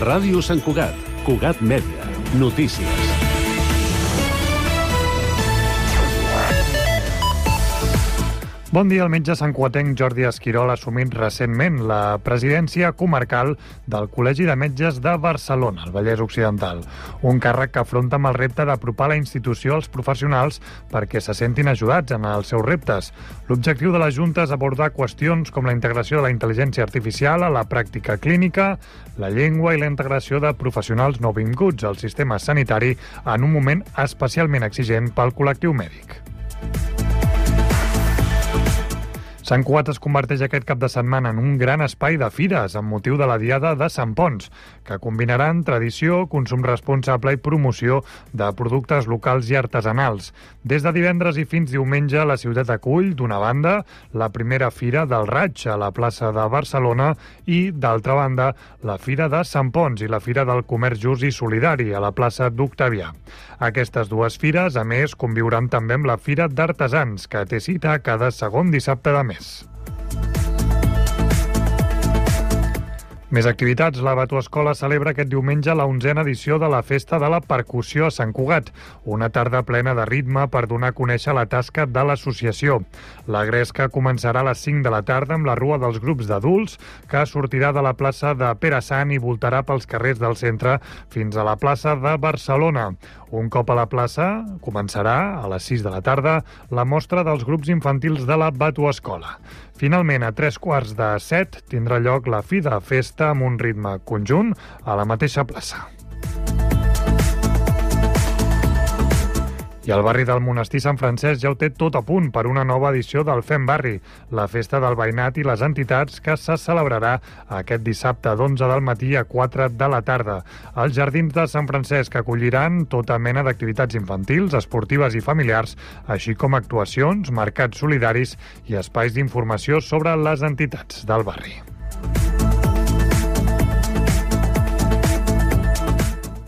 Ràdio Sant Cugat, Cugat Mèdia, notícies. Bon dia. El metge santcugatenc Jordi Esquirol ha assumit recentment la presidència comarcal del Col·legi de Metges de Barcelona, al Vallès Occidental. Un càrrec que afronta amb el repte d'apropar la institució als professionals perquè se sentin ajudats en els seus reptes. L'objectiu de la Junta és abordar qüestions com la integració de la intel·ligència artificial a la pràctica clínica, la llengua i la integració de professionals nouvinguts al sistema sanitari en un moment especialment exigent pel col·lectiu mèdic. Sant Cugat es converteix aquest cap de setmana en un gran espai de fires amb motiu de la Diada de Sant Ponç, que combinaran tradició, consum responsable i promoció de productes locals i artesanals. Des de divendres i fins diumenge, la ciutat acull, d'una banda, la primera Fira del Raig a la plaça de Barcelona i, d'altra banda, la Fira de Sant Ponç i la Fira del Comerç Just i Solidari a la plaça d'Octavià. Aquestes dues fires, a més, conviuran també amb la Fira d'Artesans, que té cita cada segon dissabte de mes. Més activitats. La Batuescola celebra aquest diumenge la 11a edició de la Festa de la Percussió a Sant Cugat, una tarda plena de ritme per donar a conèixer la tasca de l'associació. La gresca començarà a les 5 de la tarda amb la Rua dels Grups d'Adults, que sortirà de la plaça de Pere Sant i voltarà pels carrers del centre fins a la plaça de Barcelona. Un cop a la plaça, començarà a les 6 de la tarda la mostra dels grups infantils de la Batuescola. Finalment, a 6:45 tindrà lloc la fi de festa amb un ritme conjunt a la mateixa plaça. I el barri del Monestir Sant Francesc ja ho té tot a punt per una nova edició del Fem Barri, la festa del veïnat i les entitats que se celebrarà aquest dissabte d'11 del matí a 4 de la tarda. Els jardins de Sant Francesc acolliran tota mena d'activitats infantils, esportives i familiars, així com actuacions, mercats solidaris i espais d'informació sobre les entitats del barri.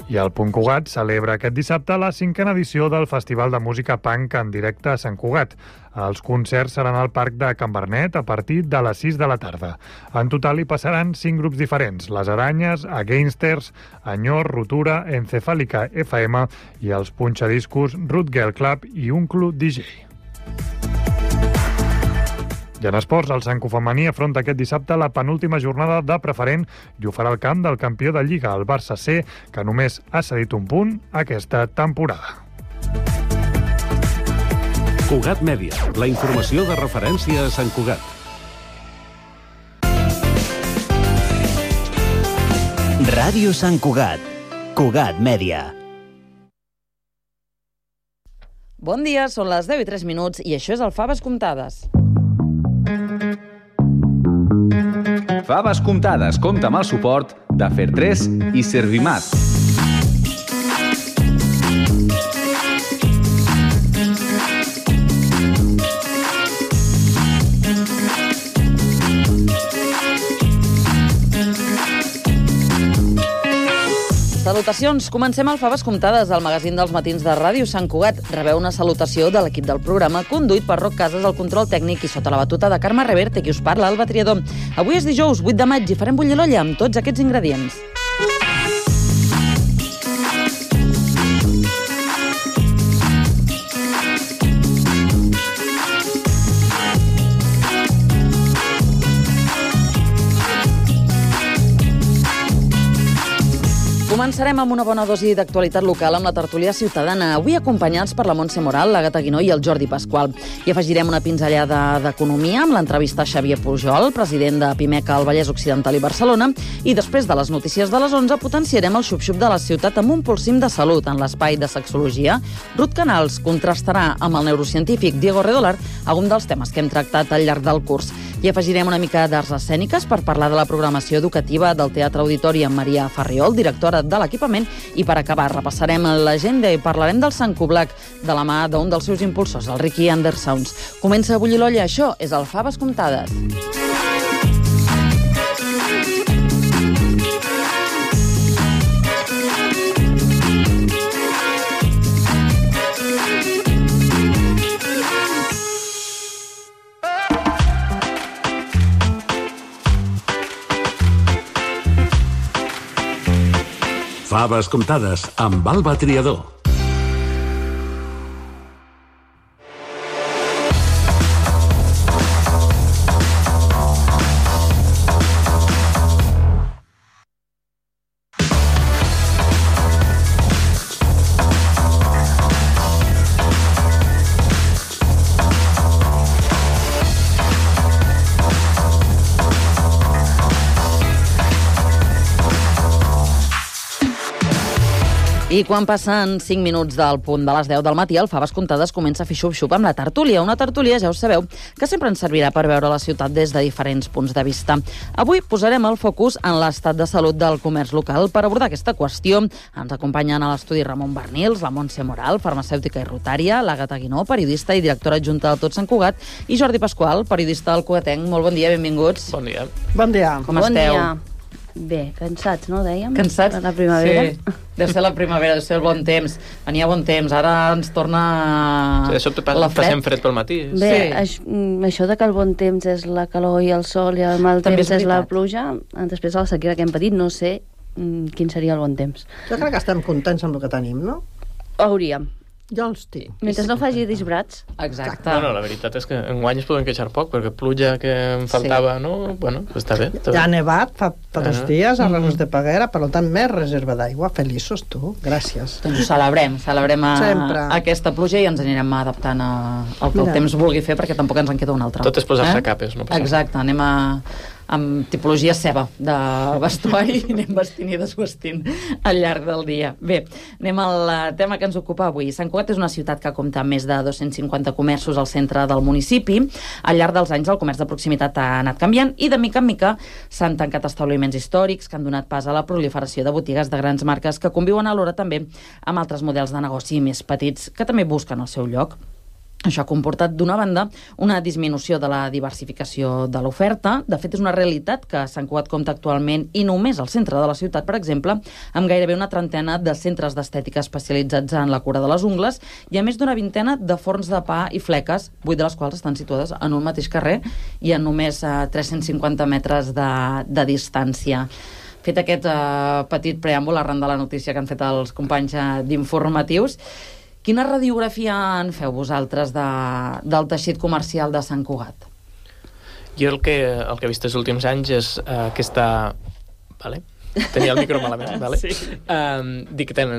I el Punt Cugat celebra aquest dissabte la 5a edició del Festival de Música Punk en directe a Sant Cugat. Els concerts seran al Parc de Can Bernet a partir de les 6 de la tarda. En total hi passaran 5 grups diferents: Les Aranyes, Againsters, Enyor, Rotura, Encefàlica FM i els punxadiscos Root Girl Club i un club DJ. I en esports, el Santcu femení afronta aquest dissabte la penúltima jornada de preferent i ho farà al camp del campió de Lliga, el Barça C, que només ha cedit un punt aquesta temporada. Cugat Mèdia, la informació de referència a Sant Cugat. Ràdio Sant Cugat, Cugat Mèdia. Bon dia, són les 10:03 i això és el Faves Comptades. Faves Comptades compta amb el suport de Fer3 i Servimat. Salutacions. Comencem el Faves Comptades, el magazín dels matins de Ràdio Sant Cugat. Rebeu una salutació de l'equip del programa, conduït per Roc Casas, el control tècnic, i sota la batuta de Carme Reverte, qui us parla, Alba Triador. Avui és dijous, 8 de maig, i farem bullir l'olla amb tots aquests ingredients. Començarem amb una bona dosi d'actualitat local amb la tertúlia ciutadana, avui acompanyats per la Montse Moral, la Gata Guinó i el Jordi Pasqual. I afegirem una pinzellada d'economia amb l'entrevista a Xavier Pujol, president de Pimec al Vallès Occidental i Barcelona, i després de les notícies de les 11 potenciarem el xup-xup de la ciutat amb un pulsim de salut en l'espai de sexologia. Ruth Canals contrastarà amb el neurocientífic Diego Redolar algun dels temes que hem tractat al llarg del curs. I afegirem una mica d'arts escèniques per parlar de la programació educativa del Teatre Auditori amb Maria Farriol, directora de l'equipament, i per acabar repassarem l'agenda i parlarem del Sant Cublac de la mà d'un dels seus impulsors, el Ricky Andersounds. Comença a bullir l'olla, això és el Faves Comptades. Faves comptades amb Alba Triador. I quan passen 5 minuts del punt de les 10 del matí, el Faves Comptades comença a fer xup-xup amb la tertúlia. Una tertúlia, ja ho sabeu, que sempre ens servirà per veure la ciutat des de diferents punts de vista. Avui posarem el focus en l'estat de salut del comerç local. Per abordar aquesta qüestió ens acompanyen a l'estudi Ramon Bernils, la Montse Moral, farmacèutica i rotària, l'Àgata Guinó, periodista i directora adjunta del Tot Sant Cugat, i Jordi Pasqual, periodista del Cugatenc. Molt bon dia, benvinguts. Bon dia. Bon dia. Com esteu? Dia. Bé, cansats, no, dèiem? Cansats? De la primavera. Sí, deu ser la primavera, deu ser el bon temps. Venia bon temps, ara ens torna Sí, de sobte la fred. passem fred pel matí. Bé, Sí. això de que el bon temps és la calor i el sol i el mal També temps és és la veritat. pluja, després de la sequera que hem patit, no sé quin seria el bon temps. Jo crec que estem contents amb el que tenim, no? Hauríem. Jo els tinc. Mentre no faci disbrats. Exacte. No, la veritat és que enguany es poden queixar poc, perquè pluja que em faltava, no? Bueno, està bé. Està Ja ha bé. nevat fa 2 dies a Renos de Peguera, per tant, més reserva d'aigua. Feliços, tu. Gràcies. Doncs ho celebrem Sempre. aquesta pluja i ens anirem adaptant al que el Mira. temps vulgui fer, perquè tampoc ens en queda una altra. Tot és posar-se capes, no passa Exacte, anem amb tipologia ceba de vestuari i anem vestint i desvestint al llarg del dia. Bé, anem al tema que ens ocupa avui. Sant Cugat és una ciutat que compta amb més de 250 comerços al centre del municipi. Al llarg dels anys el comerç de proximitat ha anat canviant i de mica en mica s'han tancat establiments històrics que han donat pas a la proliferació de botigues de grans marques que conviuen alhora també amb altres models de negoci més petits que també busquen el seu lloc. Això ha comportat, d'una banda, una disminució de la diversificació de l'oferta. De fet, és una realitat que Sant Cugat compta actualment, i només al centre de la ciutat, per exemple, amb gairebé una trentena de centres d'estètica especialitzats en la cura de les ungles i a més d'una vintena de forns de pa i fleques, 8 de les quals estan situades en un mateix carrer i a només 350 metres de distància. Fet aquest petit preàmbul arran de la notícia que han fet els companys d'informatius, quina radiografia en feu vosaltres del teixit comercial de Sant Cugat? Jo el que he vist els últims anys és aquesta... Vale? Tenia el micro malament, vale? Sí. Dic que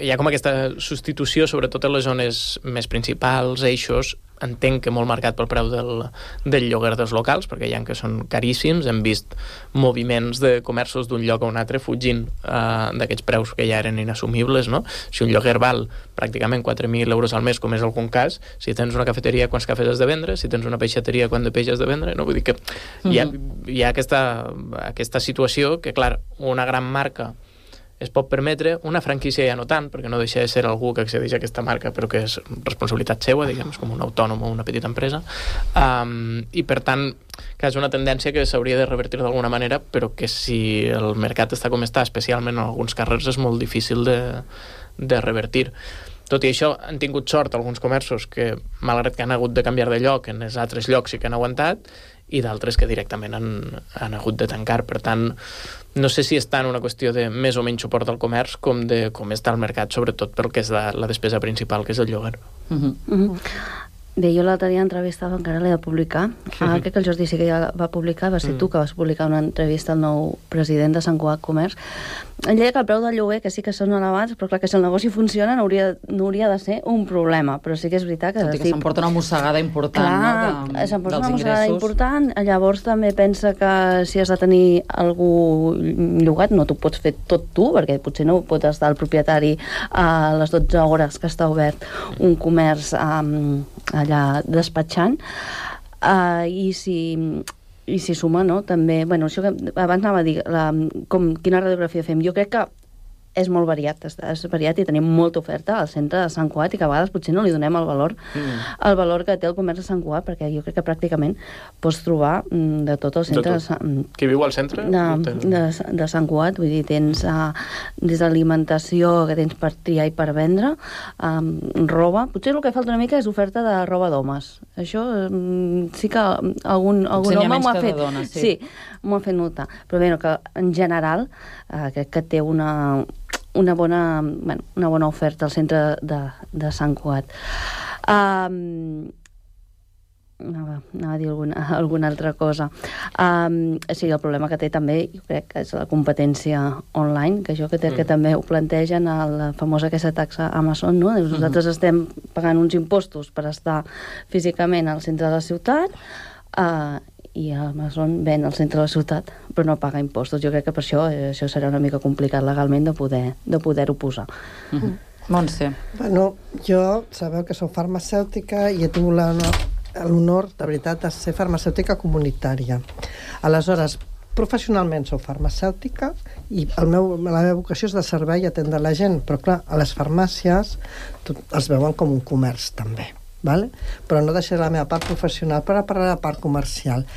hi ha com aquesta substitució, sobretot en les zones més principals, eixos, entenc que molt marcat pel preu del lloguer dels locals, perquè hi ha que són caríssims. Hem vist moviments de comerços d'un lloc a un altre fugint d'aquests preus que ja eren inassumibles, no? Si un lloguer val pràcticament 4.000 euros al mes, com és algun cas, si tens una cafeteria, quants cafès has de vendre? Si tens una peixateria, quant de peix has de vendre? No? Vull dir que hi ha aquesta situació que, clar, una gran marca es pot permetre, una franquícia ja no tant, perquè no deixa de ser algú que accedeix a aquesta marca, però que és responsabilitat seva, diguem, és com un autònom o una petita empresa, i per tant, que és una tendència que s'hauria de revertir d'alguna manera, però que si el mercat està com està, especialment en alguns carrers, és molt difícil de revertir. Tot i això, han tingut sort alguns comerços que, malgrat que han hagut de canviar de lloc, en els altres llocs sí que han aguantat, i d'altres que directament han hagut de tancar. Per tant, no sé si és tant una qüestió de més o menys suport al comerç com de com està el mercat, sobretot pel que és la despesa principal, que és el lloguer. Bé, jo l'altre dia entrevistava, encara l'he de publicar. Crec que el Jordi sí que ja va publicar, va ser tu que vas publicar una entrevista al nou president de Sant Cugat Comerç. Ell deia que el preu del lloguer, que sí que són elevats, però clar, que si el negoci funciona no hauria de ser un problema, però sí que és veritat que... Tot i que s'emporta una mossegada important, clar, no? S'emporta una mossegada important, llavors també pensa que si has de tenir algú llogat no t'ho pots fer tot tu, perquè potser no pot estar el propietari a les 12 hores que està obert un comerç allà despatxant, i si suma, no? També, bueno, això que abans anava a dir, quina radiografia fem. Jo crec que és molt variat, és variat i tenim molta oferta al centre de Sant Cugat i que a vegades potser no li donem el valor que té el comerç de Sant Cugat, perquè jo crec que pràcticament pots trobar de tot el centre Qui viu al centre? de Sant Cugat, vull dir, tens des d'alimentació que tens per triar i per vendre, roba, potser el que falta una mica és oferta de roba d'homes. Això sí que algun home m'ho ha fet. Sí, m'ho ha fet notar. Però bé, que en general crec que té una bona oferta al centre de Sant Cugat. Anava a dir alguna altra cosa. Sí, el problema que té també, jo crec que és la competència online, que jo crec que també ho plantegen a la famosa aquesta taxa Amazon, no? Nosaltres estem pagant uns impostos per estar físicament al centre de la ciutat, i Amazon ven al centre de la ciutat però no paga impostos. Jo crec que per això serà una mica complicat legalment de poder-ho posar. Montse. Bueno, jo sabeu que soc farmacèutica i he tingut l'honor, de veritat, de ser farmacèutica comunitària. Aleshores, professionalment soc farmacèutica i la meva vocació és de servei i atendre la gent, però clar, a les farmàcies els veuen com un comerç també, vale? Però no deixaré la meva part professional per parlar de la part comercial.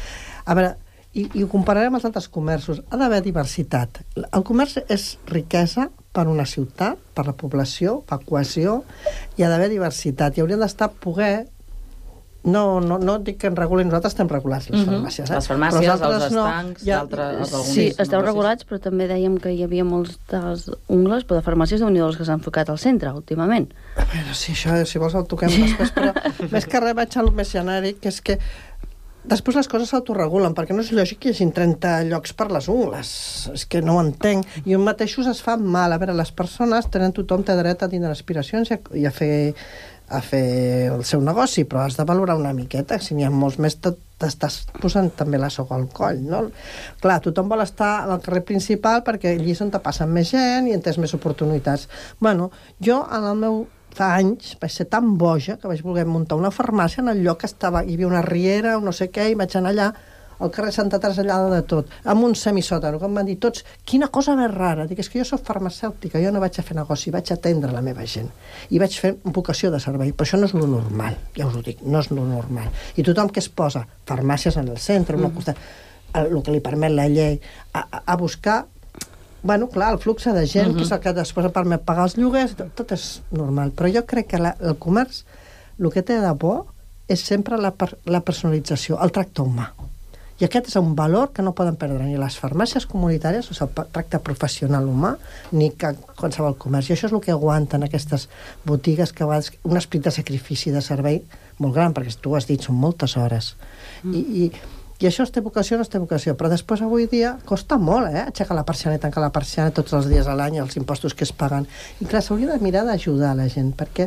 A veure, i ho compararem amb els altres comerços, ha d'haver diversitat. El comerç és riquesa per una ciutat, per la població, per cohesió, i ha d'haver diversitat, i hauria d'estar poder. No dic que en regulin, nosaltres estem regulats, les farmàcies. Les farmàcies, els estancs, d'altres... Sí, esteu regulats, però també dèiem que hi havia molts dels ungles, però de farmàcies déu-n'hi-do que s'han enfocat al centre, últimament. A veure, si vols el toquem després, però més que res vaig al més genèric, que és que després les coses s'autoregulen, perquè no és lògic que hi hagi 30 llocs per les ungles. És que no ho entenc. I un mateixos es fa mal. A veure, les persones tothom té dret a tindre aspiracions i a fer el seu negoci, però has de valorar una miqueta. Si n'hi ha molts més, t'estàs posant també la soga al coll, no? Clar, tothom vol estar al carrer principal perquè allí és on te passen més gent i en tens més oportunitats. Bueno, jo en el meu fa anys vaig ser tan boja que vaig voler muntar una farmàcia en el lloc que hi havia una riera, no sé què, i vaig anar allà al carrer Santa Traslladada de tot, amb un semisòtano, que em van dir tots, quina cosa més rara. Dic, és que jo soc farmacèutica, jo no vaig a fer negoci, vaig a atendre la meva gent. I vaig fer vocació de servei, però això no és lo normal, ja us ho dic, no és lo normal. I tothom que es posa farmàcies en el centre, una costat, el que li permet la llei, a buscar, bueno, clar, el flux de gent, que és el que després permet pagar els lloguers, tot és normal. Però jo crec que el comerç, el que té de bo és sempre la personalització, el tracte humà. I aquest és un valor que no poden perdre ni les farmàcies comunitàries, o sigui, el tracte professional humà, ni qualsevol comerç. I això és el que aguanten aquestes botigues, que un esperit de sacrifici, de servei molt gran, perquè tu has dit, són moltes hores. I això és té vocació o no té vocació, però després avui dia costa molt, aixecar la persiana i tancar la persiana tots els dies a l'any, els impostos que es paguen. I clar, s'hauria de mirar d'ajudar la gent, perquè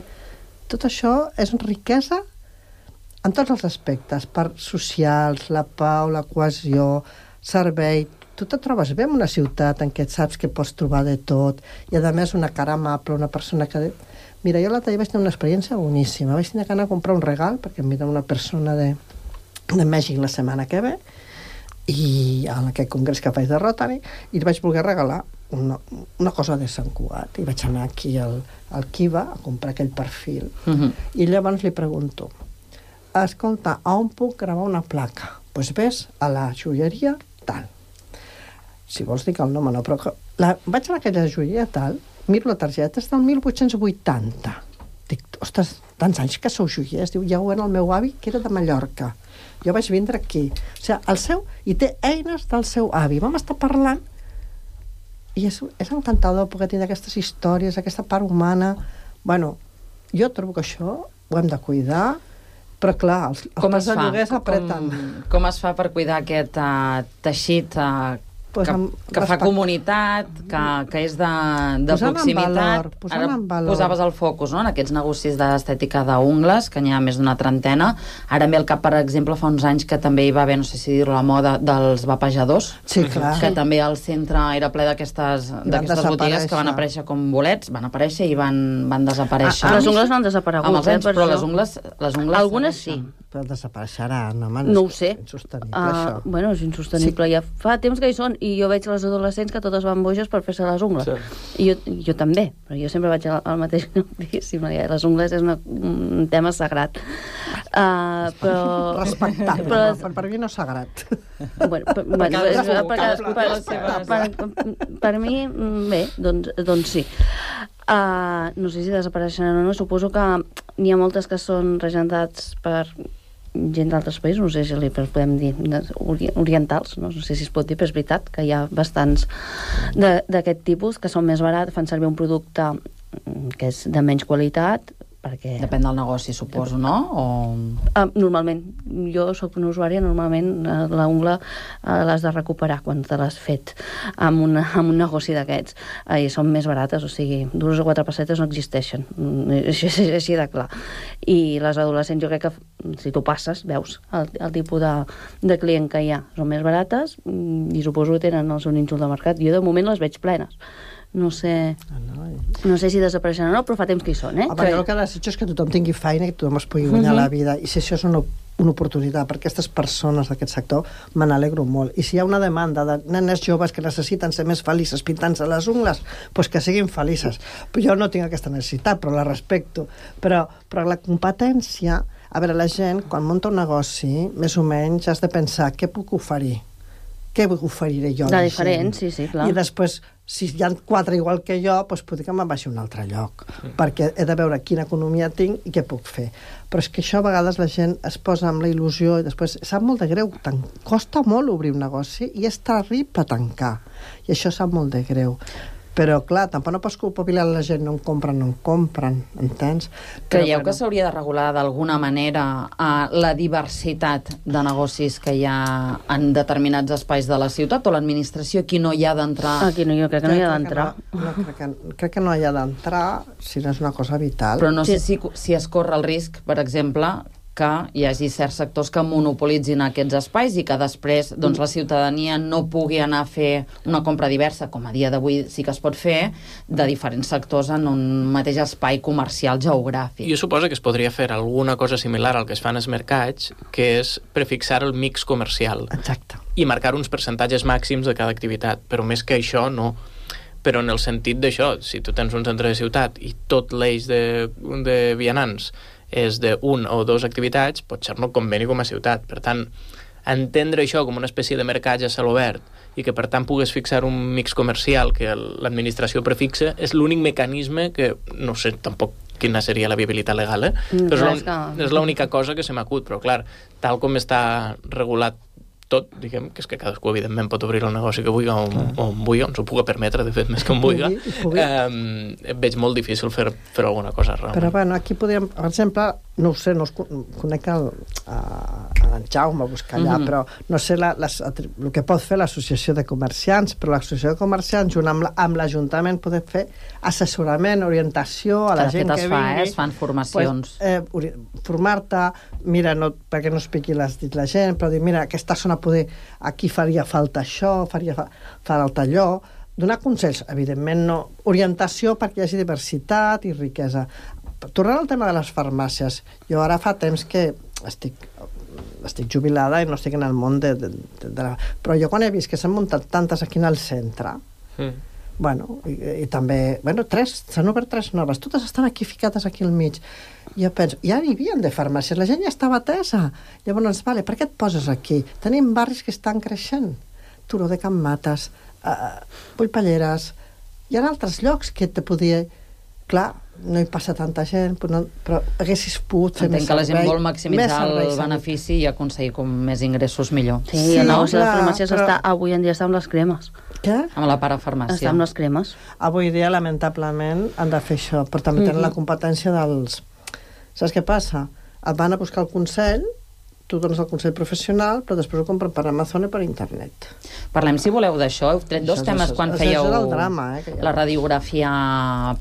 tot això és riquesa en tots els aspectes, parts socials, la pau, la cohesió, servei. Tu te trobes bé en una ciutat en què saps que pots trobar de tot, i a més una cara amable, una persona que... Mira, jo l'altre dia vaig tenir una experiència boníssima. Vaig tenir que anar a comprar un regal, perquè em ve una persona de Mèxic la setmana que ve, i en aquest congrés que faig de Rotary, i li vaig voler regalar una cosa de Sant Cugat. I vaig anar aquí al Kiva a comprar aquell perfil. I llavors li pregunto, escolta, a on puc gravar una placa? Doncs ves a la joieria tal. Si vols dic el nom, no, però vaig a aquella joieria tal, miro la targeta, és del 1880. Dic, ostres, tants anys que sou joiers. Diu, ja ho era el meu avi, que era de Mallorca. Jo vaig vindre aquí. O sigui, i té eines del seu avi. Vam estar parlant i és encantador poder tenir aquestes històries, aquesta part humana. Bueno, jo trobo que això ho hem de cuidar. Però clar, els preus de lloguers apreten. Com es fa per cuidar aquest teixit que fa comunitat, que és de proximitat? Posant en valor. Posaves el focus, no?, en aquests negocis d'estètica d'ungles, que n'hi ha més d'una trentena. Ara em ve al cap, per exemple, fa uns anys que també hi va haver, no sé si dir-ho, la moda dels vapejadors. Sí, clar. Que també al centre era ple d'aquestes botigues que van aparèixer com bolets, van aparèixer i van desaparèixer. Les ungles no han desaparegut. Amb els anys, però les ungles... Algunes sí. Però desapareixeran, home. No ho sé. És insostenible, això. Bueno, és insostenible. Ja fa temps que hi són, i jo veig les adolescents que totes van boges per fer-se les ungles. Sí. I jo també, però jo sempre vaig al mateix diguéssim. Les ungles és un tema sagrat. Però... Respectable, però per mi no és sagrat. Per mi, bé, doncs sí. No sé si desapareixeran o no. Suposo que n'hi ha moltes que són regentats per gent d'altres països, no sé si li podem dir orientals, no sé si es pot dir, però és veritat que hi ha bastants d'aquest tipus que són més barats, fan servir un producte que és de menys qualitat, perquè... Depèn del negoci, suposo, no? Normalment, jo soc una usuària, normalment la ungla l'has de recuperar quan te l'has fet amb un negoci d'aquests. I són més barates, o sigui, 2 o 4 pessetes no existeixen. Això és així de clar. I les adolescents, jo crec que si tu passes, veus el tipus de client que hi ha. Són més barates i suposo que tenen el seu nínxol de mercat. Jo de moment les veig plenes. No sé si desapareixen o no, però fa temps que hi són, jo el que desitjo és que tothom tingui feina, que tothom es pugui guanyar la vida, i si això és una oportunitat per aquestes persones d'aquest sector, me n'alegro molt. I si hi ha una demanda de nenes joves que necessiten ser més felices pintant-se les ungles, doncs que siguin felices. Però jo no tinc aquesta necessitat, però la respecto. Però la competència... A veure, la gent, quan munta un negoci, més o menys has de pensar què puc oferir. Què oferiré jo a la gent? Diferent, sí, clar. I després, si hi ha 4 igual que jo, doncs potser que me'n baixi a un altre lloc, perquè he de veure quina economia tinc i què puc fer. Però és que això a vegades la gent es posa amb la il·lusió i després sap molt de greu, costa molt obrir un negoci i és terrible tancar. I això sap molt de greu. Però, clar, tampoc no pots culpabilitzar la gent, no en compren, entens? Creieu que s'hauria de regular d'alguna manera la diversitat de negocis que hi ha en determinats espais de la ciutat, o l'administració aquí no hi ha d'entrar? Aquí no, jo crec que no hi ha d'entrar. Crec que no hi ha d'entrar si no és una cosa vital. Però no sé si es corre el risc, per exemple, que hi hagi certs sectors que monopolitzin aquests espais i que després doncs, la ciutadania no pugui anar a fer una compra diversa, com a dia d'avui sí que es pot fer, de diferents sectors en un mateix espai comercial geogràfic. Jo suposo que es podria fer alguna cosa similar al que es fan als mercats, que és prefixar el mix comercial. Exacte. I marcar uns percentatges màxims de cada activitat, però més que això no. Però en el sentit d'això, si tu tens un centre de ciutat i tot l'eix de vianants és d'1 o 2 activitats, potser no conveni com a ciutat. Per tant, entendre això com una espècie de mercat a cel obert i que per tant pugues fixar un mix comercial que l'administració prefixa és l'únic mecanisme que, no sé tampoc quina seria la viabilitat legal, però és l'única cosa que se m'acut, però clar, tal com està regulat tot, diguem, que és que cadascú evidentment pot obrir el negoci que vulgui on vulgui, on s'ho pugui permetre, de fet, més que on vulgui, veig molt difícil fer alguna cosa realment. Però bueno, aquí podríem, per exemple, no ho sé, no conec en Jaume a buscar allà, però no sé el que pot fer l'associació de comerciants, però l'associació de comerciants junt amb l'Ajuntament pot fer assessorament, orientació a la gent que vingui. Es fan formacions. Formar-te, mira, perquè no es piqui les dits la gent, però dir, mira, aquesta zona poder, aquí faria falta això, faria falta allò, donar consells, evidentment no, orientació perquè hi hagi diversitat i riquesa. Tornant al tema de les farmàcies, jo ara fa temps que estic jubilada i no estic en el món però jo quan he vist que s'han muntat tantes aquí en el centre, bueno, i també, bueno, s'han obert 3 noves, totes estan aquí ficades aquí al mig. Jo penso, ja n'hi havia de farmàcies, la gent ja estava atesa. Llavors, vale, per què et poses aquí? Tenim barris que estan creixent. Turó de Can Mates, Puigpalleres, hi ha altres llocs que te podia... Clar, no hi passa tanta gent, però haguessis pogut fer més servei. Entenc que la gent vol maximitzar el benefici i aconseguir com més ingressos millor. Sí, el negoci de les farmàcies avui en dia està amb les cremes. Què? Amb la parafarmàcia. Està amb les cremes. Avui dia, lamentablement, han de fer això, però també tenen la competència dels... Saps què passa? Et van a buscar el consell, tu dones el consell professional, però després ho compren per Amazon i per internet. Parlem, si voleu, d'això. Heu tret 2 temes quan fèieu la radiografia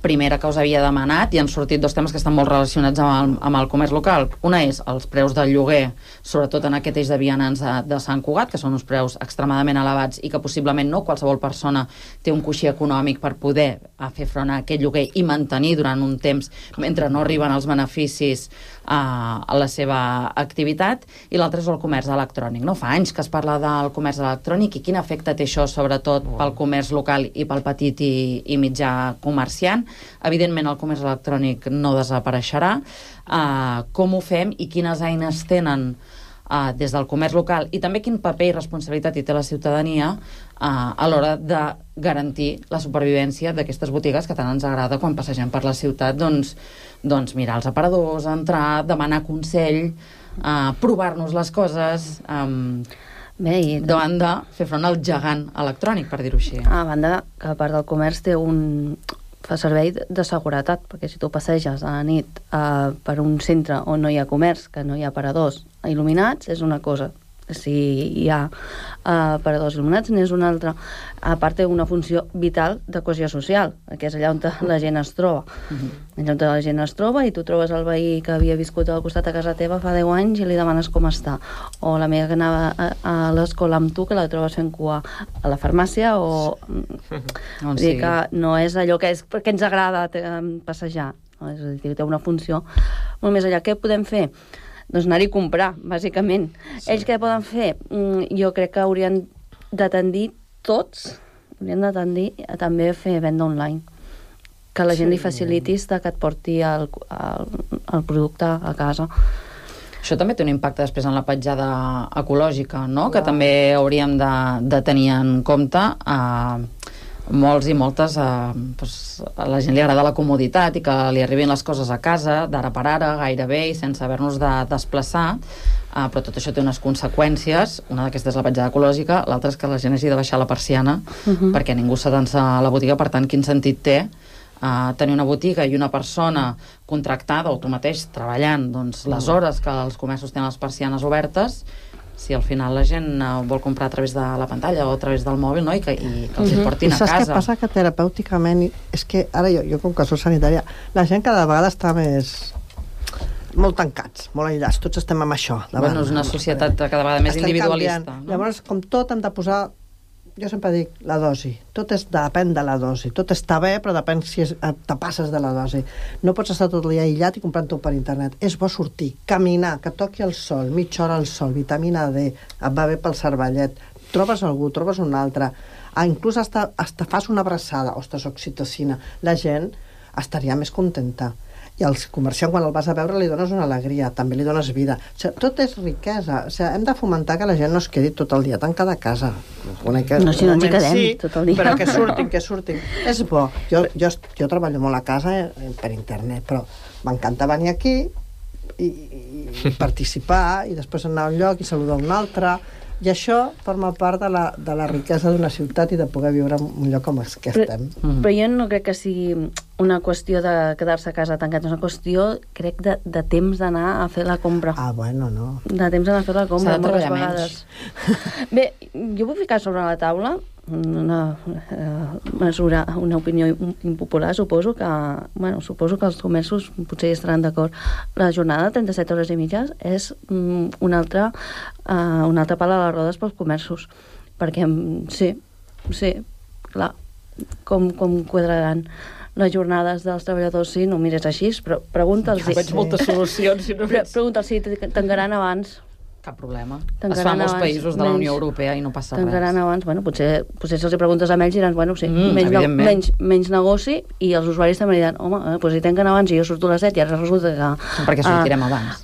primera que us havia demanat i han sortit 2 temes que estan molt relacionats amb el comerç local. Una és els preus del lloguer, sobretot en aquest eix de vianants de Sant Cugat, que són uns preus extremadament elevats i que possiblement no qualsevol persona té un coixí econòmic per poder fer front a aquest lloguer i mantenir durant un temps mentre no arriben els beneficis a la seva activitat. I l'altre és el comerç electrònic. No fa anys que es parla del comerç electrònic i quin efecte té això, sobretot pel comerç local i pel petit i mitjà comerciant. Evidentment, el comerç electrònic no desapareixerà. Com ho fem i quines eines tenen des del comerç local, i també quin paper i responsabilitat hi té la ciutadania a l'hora de garantir la supervivència d'aquestes botigues que tant ens agrada quan passegem per la ciutat, doncs mirar els aparadors, entrar, demanar consell, provar-nos les coses, davant de fer front al gegant electrònic, per dir-ho així. A banda que a part del comerç fa servei de seguretat, perquè si tu passeges a la nit per un centre on no hi ha comerç, que no hi ha aparadors il·luminats, és una cosa. Si hi ha aparadors il·luminats, n'és una altra. A part, té una funció vital de cohesió social, que és allà on la gent es troba. Allà on la gent es troba i tu trobes el veí que havia viscut al costat a casa teva fa 10 anys i li demanes com està. O l'amiga que anava a l'escola amb tu, que la trobes fent cua a la farmàcia, o... Vull dir que no és allò que ens agrada passejar. És a dir, té una funció molt més allà. Què podem fer? Doncs anar-hi a comprar, bàsicament. Ells què poden fer? Jo crec que haurien de tendir tots, haurien de tendir a també fer venda online. Que la gent li facilitis que et porti el producte a casa. Això també té un impacte després en la petjada ecològica, no? Que també hauríem de tenir en compte. Molts i moltes, a la gent li agrada la comoditat i que li arribin les coses a casa, d'ara per ara, gairebé, i sense haver-nos de desplaçar, però tot això té unes conseqüències. Una d'aquestes és la petjada ecològica, l'altra és que la gent hagi de baixar la persiana perquè ningú s'atansa a la botiga. Per tant, quin sentit té tenir una botiga i una persona contractada o tu mateix treballant les hores que els comerços tenen les persianes obertes, si al final la gent vol comprar a través de la pantalla o a través del mòbil, no? I que els portin a casa. I saps què passa? Que terapèuticament, és que ara jo com que soc sanitària, la gent cada vegada està molt tancats, molt aïllats, tots estem amb això. Bueno, és una societat cada vegada més individualista. No? Llavors, com tot, hem de posar, jo sempre dic, la dosi. Tot depèn de la dosi. Tot està bé, però depèn si te passes de la dosi. No pots estar tot el dia aïllat i comprant-ho per internet. És bo sortir, caminar, que toqui el sol, mitja hora al sol, vitamina D, et va bé pel cervellet. Trobes algú, trobes un altre. Inclús hasta fas una abraçada, ostres, oxitocina. La gent estaria més contenta. I al comerciant, quan el vas a veure, li dones una alegria, també li dones vida. O sigui, tot és riquesa. O sigui, hem de fomentar que la gent no es quedi tot el dia tancada a casa. No, si no ens hi quedem tot el dia. Però que surtin. És bo. Jo treballo molt a casa per internet, però m'encanta venir aquí i participar i després anar a un lloc i saludar un altre. I això forma part de la riquesa d'una ciutat i de poder viure en un lloc com els que estem. Però jo no crec que sigui una qüestió de quedar-se a casa tancat, és una qüestió, crec, de temps d'anar a fer la compra. Bueno, no. De temps d'anar a fer la compra, moltes vegades. Menys. Bé, jo vull ficar sobre la taula una mesura, una opinió impopular, suposo que els comerços potser hi estaran d'acord. La jornada de 37 hores i mitges és un altre pal a les rodes pels comerços, perquè sí, clar, com quadraran les jornades dels treballadors, sí, no mires així, però pregunta'ls... Jo veig moltes solucions, si no veig... Pregunta'ls si tancaran abans. Cap problema. Es fa en molts països de la Unió Europea i no passa res. Tancaran abans. Bueno, potser si els preguntes a ells diran, bueno, sí, menys negoci, i els usuaris també diran, home, doncs si tanquen abans i jo surto a les 7 i ara resulta que... Perquè sortirem abans.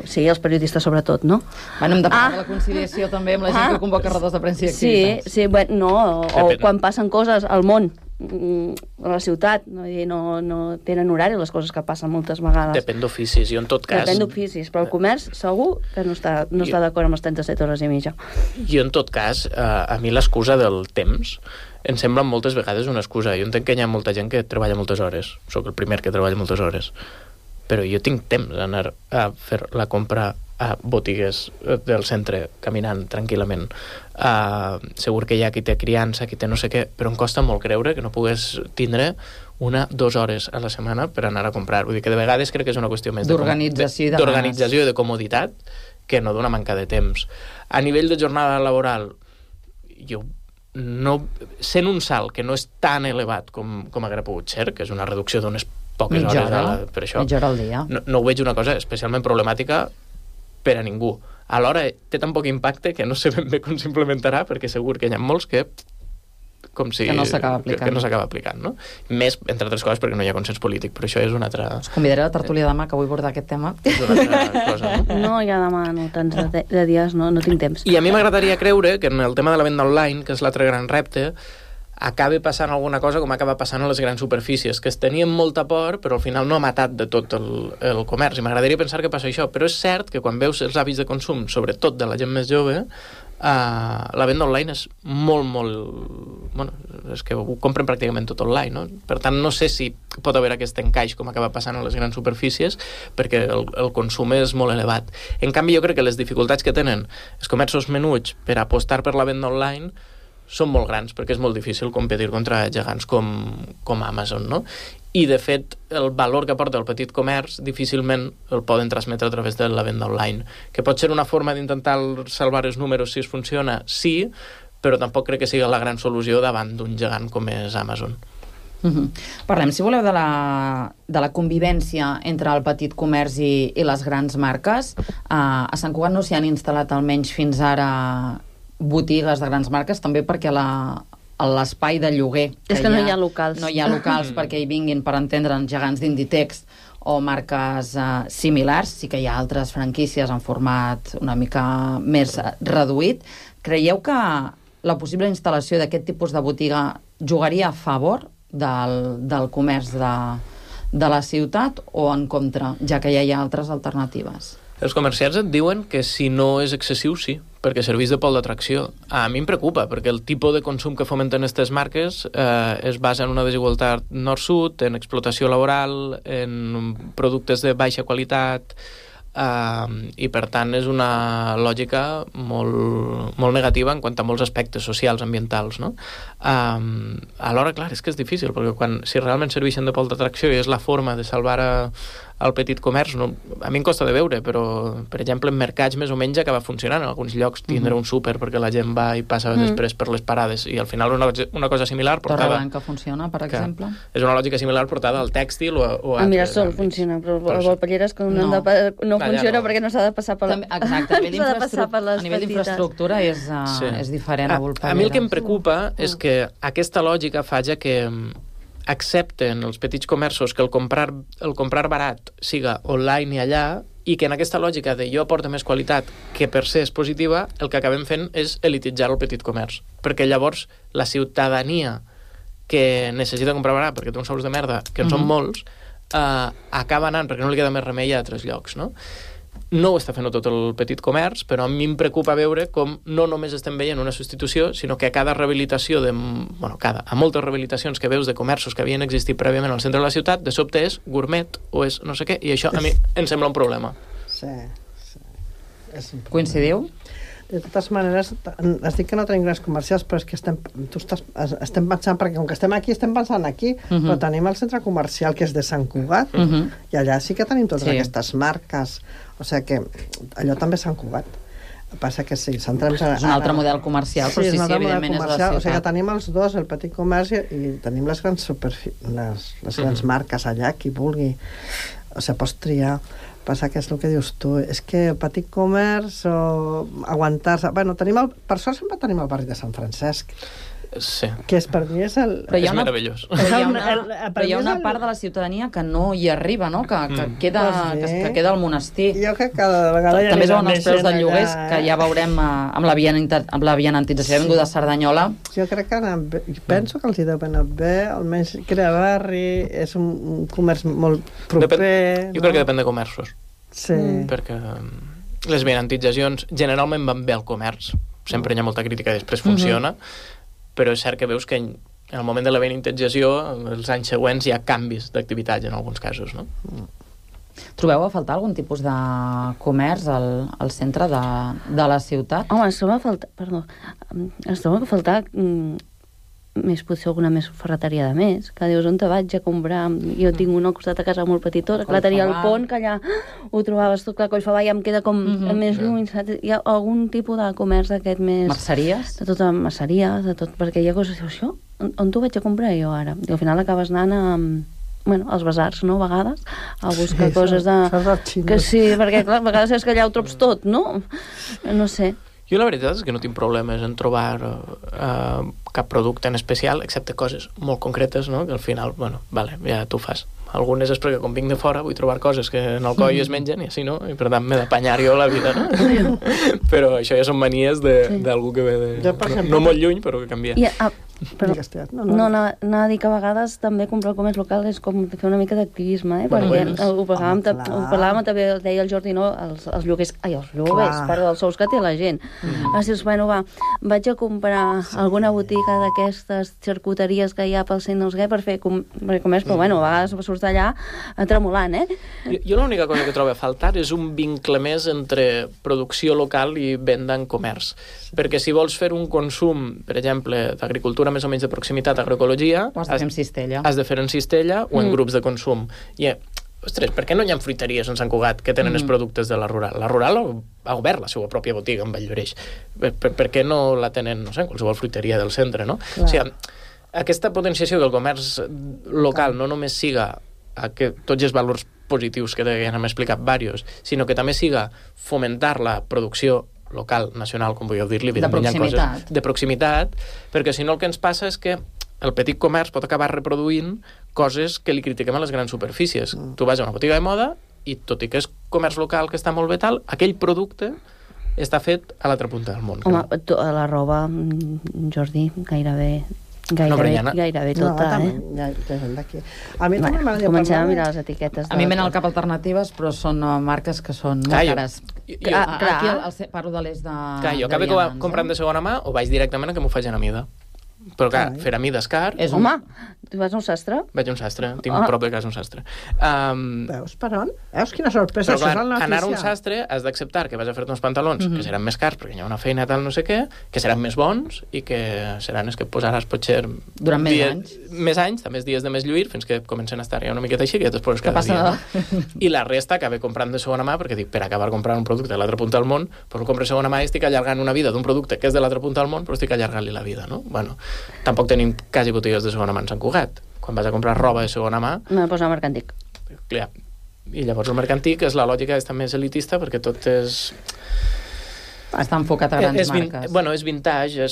Sí, els periodistes sobretot, no? Bueno, hem de parlar de la conciliació també amb la gent que convoca rodes de premsa i activitats. Sí, bueno, o quan passen coses al món, a la ciutat, no tenen horari les coses que passen moltes vegades. Depèn d'oficis, i en tot cas... Depèn d'oficis, però el comerç segur que no està d'acord amb les 37 hores i mitja. I en tot cas, a mi l'excusa del temps em sembla moltes vegades una excusa. Jo entenc que hi ha molta gent que treballa moltes hores, soc el primer que treballa moltes hores, però jo tinc temps d'anar a fer la compra a botigues del centre, caminant tranquil·lament. Segur que hi ha qui té criança, qui té no sé què, però em costa molt creure que no pogués tindre 1-2 hores a la setmana per anar a comprar. Vull dir que de vegades crec que és una qüestió més d'organització i de comoditat que no d'una manca de temps. A nivell de jornada laboral, jo no, sent un salt que no és tan elevat com haguera pogut ser, que és una reducció d'unes poques hores per això, mitja hora al dia. No ho veig una cosa especialment problemàtica per a ningú. Alhora té tan poc impacte que no sé ben bé com s'implementarà, perquè segur que hi ha molts que com si... Que no s'acaba aplicant. Que no s'acaba aplicant, no? Més, entre altres coses, perquè no hi ha consens polític, però això és una altra... Us convidaré a la tertúlia demà, que vull abordar aquest tema. És una altra cosa, no? No, ja demà no, tants de dies no tinc temps. I a mi m'agradaria creure que en el tema de la venda online, que és l'altre gran repte, acabi passant alguna cosa com acaba passant a les grans superfícies, que es tenien molta por, però al final no ha matat de tot el comerç. I m'agradaria pensar que passa això. Però és cert que quan veus els hàbits de consum, sobretot de la gent més jove, la venda online és molt... Bueno, és que ho compren pràcticament tot online, no? Per tant, no sé si pot haver aquest encaix com acaba passant a les grans superfícies, perquè el consum és molt elevat. En canvi, jo crec que les dificultats que tenen els comerços menuts per apostar per la venda online són molt grans, perquè és molt difícil competir contra gegants com Amazon, no? I, de fet, el valor que aporta el petit comerç difícilment el poden transmetre a través de la venda online. Que pot ser una forma d'intentar salvar els números si es funciona, sí, però tampoc crec que sigui la gran solució davant d'un gegant com és Amazon. Parlem, si voleu, de la convivència entre el petit comerç i les grans marques. A Sant Cugat no s'hi han instal·lat almenys fins ara botigues de grans marques, també perquè l'espai de lloguer... És que no hi ha locals. No hi ha locals perquè hi vinguin, per entendre'ns, gegants d'Inditex o marques similars. Sí que hi ha altres franquícies en format una mica més reduït. Creieu que la possible instal·lació d'aquest tipus de botiga jugaria a favor del comerç de la ciutat o en contra, ja que ja hi ha altres alternatives? Els comerciants et diuen que si no és excessiu, sí, perquè serveix de pol d'atracció. A mi em preocupa, perquè el tipus de consum que fomenten aquestes marques es basa en una desigualtat nord-sud, en explotació laboral, en productes de baixa qualitat, i per tant és una lògica molt negativa en quant a molts aspectes socials, ambientals, no? Alhora, clar, és que és difícil, perquè si realment serveixen de pol d'atracció i és la forma de salvar el petit comerç, a mi em costa de veure, però, per exemple, en mercats més o menys acaba funcionant. En alguns llocs tindre un súper perquè la gent va i passa després per les parades, i al final una cosa similar portada... Torreblanca funciona, per exemple? És una lògica similar portada al tèxtil o a... A Mirasol funciona, però a Volpelleres no funciona perquè no s'ha de passar per la... Exacte, a nivell d'infraestructura és diferent a Volpelleres. A mi el que em preocupa és que aquesta lògica fa ja que accepten els petits comerços que el comprar barat siga online i allà, i que en aquesta lògica de jo aporta més qualitat, que per ser és positiva, el que acabem fent és elititzar el petit comerç. Perquè llavors la ciutadania que necessita comprar barat perquè té uns sous de merda, que en són molts, acaba anant perquè no li queda més remei a altres llocs, no? No ho està fent tot el petit comerç, però a mi em preocupa veure com no només estem veient una substitució, sinó que a cada rehabilitació a moltes rehabilitacions que veus de comerços que havien existit prèviament al centre de la ciutat, de sobte és gourmet o és no sé què, i això a mi em sembla un problema. Sí. Coincidiu? De totes maneres, es dic que no tenim grans comercials, però és que estem pensant, perquè com que estem pensant aquí, però tenim el centre comercial que és de Sant Cugat, i allà sí que tenim totes aquestes marques, o sigui que allò també és Sant Cugat. El que passa que sí, centrem... És un altre model comercial, però sí, evidentment és la ciutat. O sigui que tenim els dos, el petit comerç, i tenim les grans les grans marques allà, qui vulgui. O sigui, pots triar. Passa que és el que dius tu, és que petit comerç o aguantar-se... Bueno, per sort sempre tenim el barri de Sant Francesc. Sí. Que és per mi és el... És meravellós. Però hi ha una part de la ciutadania que no hi arriba, no? Que queda al monestir. Jo crec que cada vegada també es veuen els preus de lloguers, que ja veurem amb la vianantització. He vingut de Cerdanyola. Jo crec que penso que els hi deu anar bé, almenys crea barri, és un comerç molt proper... Jo crec que depèn de comerços. Sí. Perquè les vianantitzacions generalment van bé al comerç. Sempre hi ha molta crítica i després funciona. Però és cert que veus que en el moment de la vianantització, els anys següents hi ha canvis d'activitat en alguns casos, no? Trobeu a faltar algun tipus de comerç al centre de la ciutat? Home, ens troba a faltar més, potser alguna més ferreteria de més, que dius, on te vaig a comprar? Jo tinc una al costat de casa molt petitona, que la tenia al pont, que allà ho trobaves tot, clar, Collfabà ja em queda com més lluny, saps? Hi ha algun tipus de comerç d'aquest més... Merceries? De tota merceria, de tot, perquè hi ha coses, això, on t'ho vaig a comprar jo ara? I al final acabes anant als basars, no?, a vegades, a buscar coses de... Que sí, perquè clar, a vegades és que allà ho trobes tot, no? No sé. Jo la veritat és que no tinc problemes en trobar cap producte en especial, excepte coses molt concretes, no? Que al final, bueno, vale, ja t'ho fas. Algunes és perquè com vinc de fora vull trobar coses que en el coll es mengen i així no, i per tant m'he d'apanyar jo la vida, no? Però això ja són manies d'algú que ve de... No molt lluny, però que canvia. Però, anava a dir que a vegades també comprar el comerç local és com fer una mica d'activisme, perquè ho parlàvem també, deia el Jordi, no? Els lloguers, part dels sous que té la gent. Dius, bueno, va, vaig a comprar alguna botiga d'aquestes xarcuteries que hi ha pel centre, no sé què, per fer comerç, però bueno, a vegades surts d'allà tremolant, Jo l'única cosa que trobo a faltar és un vincle més entre producció local i venda en comerç. Perquè si vols fer un consum, per exemple, d'agricultura més o menys de proximitat, agroecologia, has de fer en cistella. Has de fer en cistella o en grups de consum. I, ostres, per què no hi ha fruiteries en Sant Cugat que tenen els productes de la rural? La rural ha obert la seva pròpia botiga en Valldoreix. Per què no la tenen, no sé, en qualsevol fruiteria del centre, no? O sigui, aquesta potenciació del comerç local no només siga que tots els valors positius que ja n'hem explicat diversos, sinó que també siga fomentar la producció local, nacional, com vulgueu dir-li, de proximitat, perquè si no el que ens passa és que el petit comerç pot acabar reproduint coses que li critiquem a les grans superfícies. Tu vas a una botiga de moda i tot i que és comerç local que està molt bé tal, aquell producte està fet a l'altra punta del món. Home, la roba, Jordi, gairebé tota, A mi també m'agradaria comencem a mirar les etiquetes. A mi m'han al cap alternatives, però són marques que són molt cares. Aquí parlo de l'est de... Jo acabo comprant de segona mà o vaig directament a que m'ho facin a mida. Però clar, fer a mida és car. Home, tu vas a un sastre? Vaig a un sastre, tinc prop de casa un sastre. Veus per on? Veus quina sorpresa? Però clar, anar a un sastre has d'acceptar que vas a fer-te uns pantalons que seran més cars perquè hi ha una feina tal no sé què, que seran més bons i que seran els que posaràs potser... Durant més anys. Més anys, també els dies de més lluir, fins que comencen a estar ja una miqueta així, que ja t'esposes cada dia. I la resta acabé comprant de segona mà, perquè dic, per acabar comprant un producte de l'altra punta del món, però compro de segona mà i estic allargant una vida d'un producte que és de l'altra punta del món, però estic allargant-li la vida, no? Bueno, tampoc tenim quasi botigues de segona mà en Sant Cugat. Quan vas a comprar roba de segona mà... No, posa el mercantic. Clar. I llavors el mercantic és la lògica està més elitista perquè tot és... Està enfocat a grans marques. Bueno, és vintage,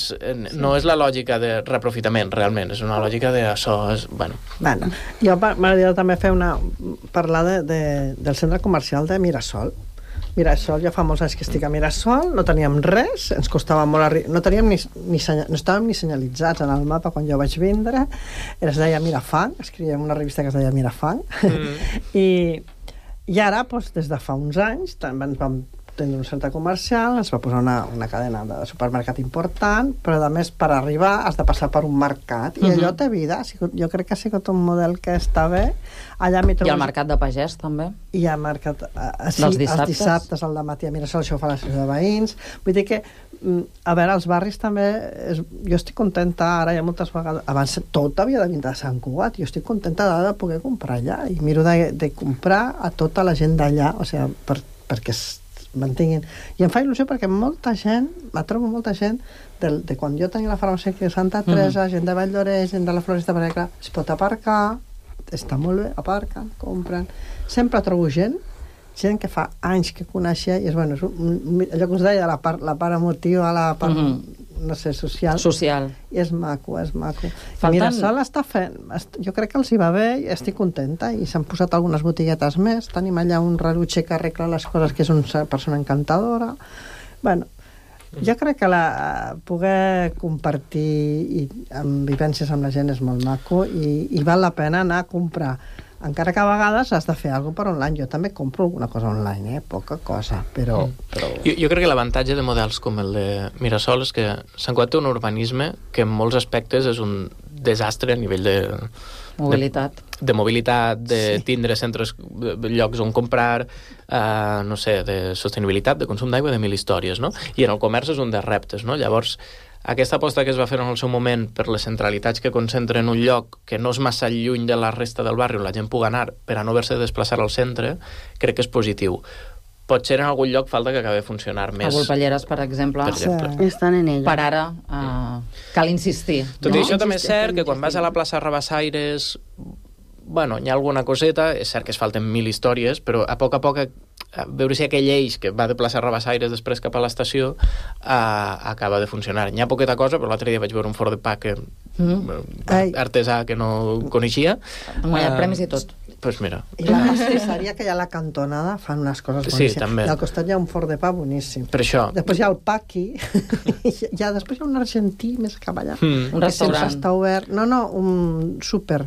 no és la lògica de reprofitament, realment. És una lògica de això... Bueno, jo m'agradaria també parlar del centre comercial de Mirasol. Mirasol, ja fa molts anys que estic a Mirasol, no teníem res, ens costava molt no teníem no estàvem ni senyalitzats en el mapa quan jo vaig vindre, es deia Mirafang, escrivíem una revista que es deia Mirafang, i ara, des de fa uns anys, vam tenir un centre comercial, ens va posar una cadena de supermercat important, però a més per arribar has de passar per un mercat i allò té vida, jo crec que ha sigut un model que està bé. Allà I el mercat de pagès també? I el mercat els dissabtes al dematí a Mirasol, això ho fa l'associació de veïns, vull dir que a veure, els barris també jo estic contenta, ara hi ha moltes vegades abans tot havia de vindre a Sant Cugat, jo estic contenta de poder comprar allà i miro de comprar a tota la gent d'allà, o sigui, perquè mantinguin. I em fa il·lusió perquè trobo molta gent de quan jo tenia la farmàcia de Santa Teresa, gent de Valldoreix, gent de la Floresta, perquè clar, es pot aparcar, està molt bé, aparquen, compren. Sempre trobo gent que fa anys que coneixia i és, bueno, allò que us deia, la part emotiva, la part, no sé, social. I és maco, és maco. Mirasol està fent, jo crec que els hi va bé i estic contenta i s'han posat algunes botiguetes més, tenim allà un rellotger que arregla les coses, que és una persona encantadora. Bueno, jo crec que poder compartir amb vivències amb la gent és molt maco i val la pena anar a comprar, encara que a vegades has de fer alguna cosa per online. Jo també compro alguna cosa online, poca cosa, però... Jo crec que l'avantatge de models com el de Mirasol és que Sant Cugat té un urbanisme que en molts aspectes és un desastre a nivell de mobilitat, de tindre centres, llocs on comprar, no sé, de sostenibilitat, de consum d'aigua, de mil històries, no? I en el comerç és un dels reptes, no? Llavors, aquesta aposta que es va fer en el seu moment per les centralitats que concentren en un lloc que no és massa lluny de la resta del barri on la gent pugui anar per a no haver-se de desplaçar al centre, crec que és positiu. Potser en algun lloc falta que acabi de funcionar més. A Volpelleres, per exemple. Estan en ella. Per ara, cal insistir. Tot i això també és cert que quan vas a la plaça Rabassaires bueno, hi ha alguna coseta, és cert que es falten 1000 històries, però a poc, a veure si aquell eix que va de plaça Rabassaires després cap a l'estació acaba de funcionar. Hi ha poqueta cosa, però l'altre dia vaig veure un forn de pa que artesà que no coneixia. Han guanyat premis i tot. Pues mira. I la pastisseria que hi ha a la cantonada fan unes coses boníssimes. Sí, també. I al costat hi ha un forn de pa boníssim. Per això. Després hi ha el Paqui. Després hi ha un argentí més cap allà. Un restaurant. Està obert. No, un súper.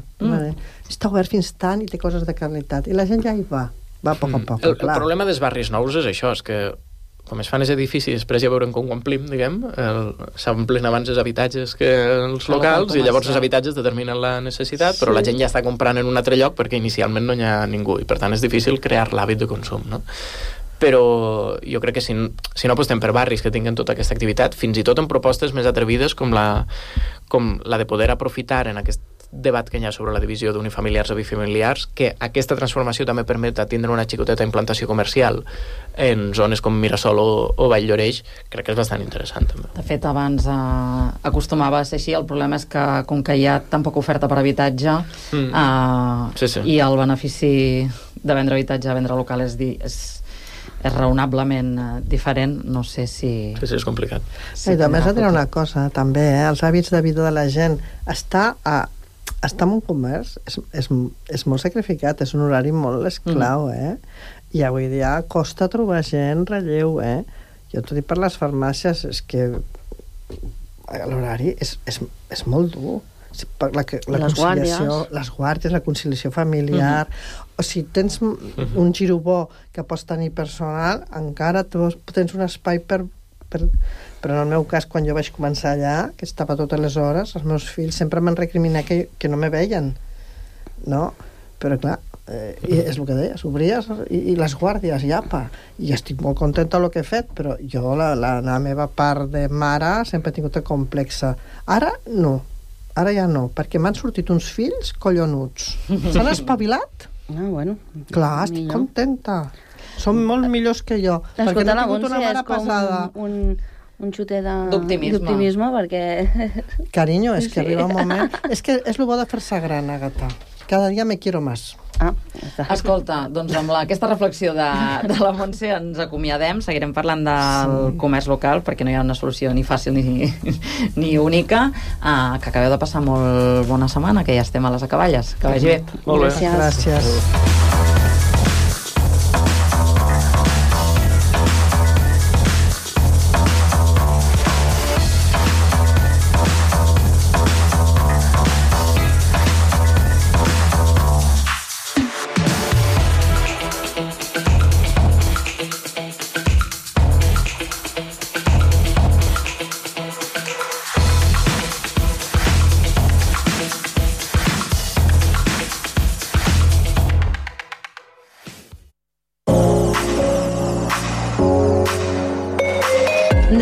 Està obert fins tant i té coses de qualitat. I la gent ja hi va. Va a poc a poc. El problema dels barris nous és això, és que com es fan els edificis, després ja veurem com ho omplim, diguem, s'omplen abans els habitatges que els locals, i llavors els habitatges determinen la necessitat, però la gent ja està comprant en un altre lloc perquè inicialment no hi ha ningú, i per tant és difícil crear l'hàbit de consum, no? Però jo crec que si no apostem per barris que tinguin tota aquesta activitat, fins i tot en propostes més atrevides com la de poder aprofitar en aquest debat que hi ha sobre la divisió d'unifamiliars a bifamiliars, que aquesta transformació també permet tindre una xicoteta implantació comercial en zones com Mirasol o Vall-lloreix, crec que és bastant interessant també. De fet, abans acostumava a ser així, el problema és que com que hi ha tan poca oferta per habitatge i el benefici de vendre habitatge a vendre local és raonablement diferent, no sé si... Sí, és complicat. I també has de tenir una cosa, també, els hàbits de vida de la gent. Estar en un comerç és molt sacrificat, és un horari molt esclau, i avui dia costa trobar gent relleu, Jo t'ho dic per les farmàcies, és que l'horari és molt dur. La conciliació, les guàrdies, la conciliació familiar, o si tens un giro bo que pots tenir personal, encara tens un espai però en el meu cas, quan jo vaig començar allà, que estava totes les hores, els meus fills sempre m'han recriminat que no me veien, no? Però clar, és el que deies, obries i les guàrdies, i apa, i estic molt contenta del que he fet, però jo, la meva part de mare, sempre he tingut el complexe. Ara ja no, perquè m'han sortit uns fills collonuts. S'han espavilat? Bueno. Clar, estic contenta. Són molt millors que jo, perquè no he tingut una mare pesada. Un xuter d'optimisme, perquè... Carinyo, és que arriba un moment... És que és el bo de fer-se gran, Agatha. Cada dia me quiero más. Escolta, doncs amb aquesta reflexió de la Montse ens acomiadem, seguirem parlant del comerç local perquè no hi ha una solució ni fàcil ni única, que acabeu de passar molt bona setmana, que ja estem a les acaballes, que vagi bé. Molt bé. Gràcies.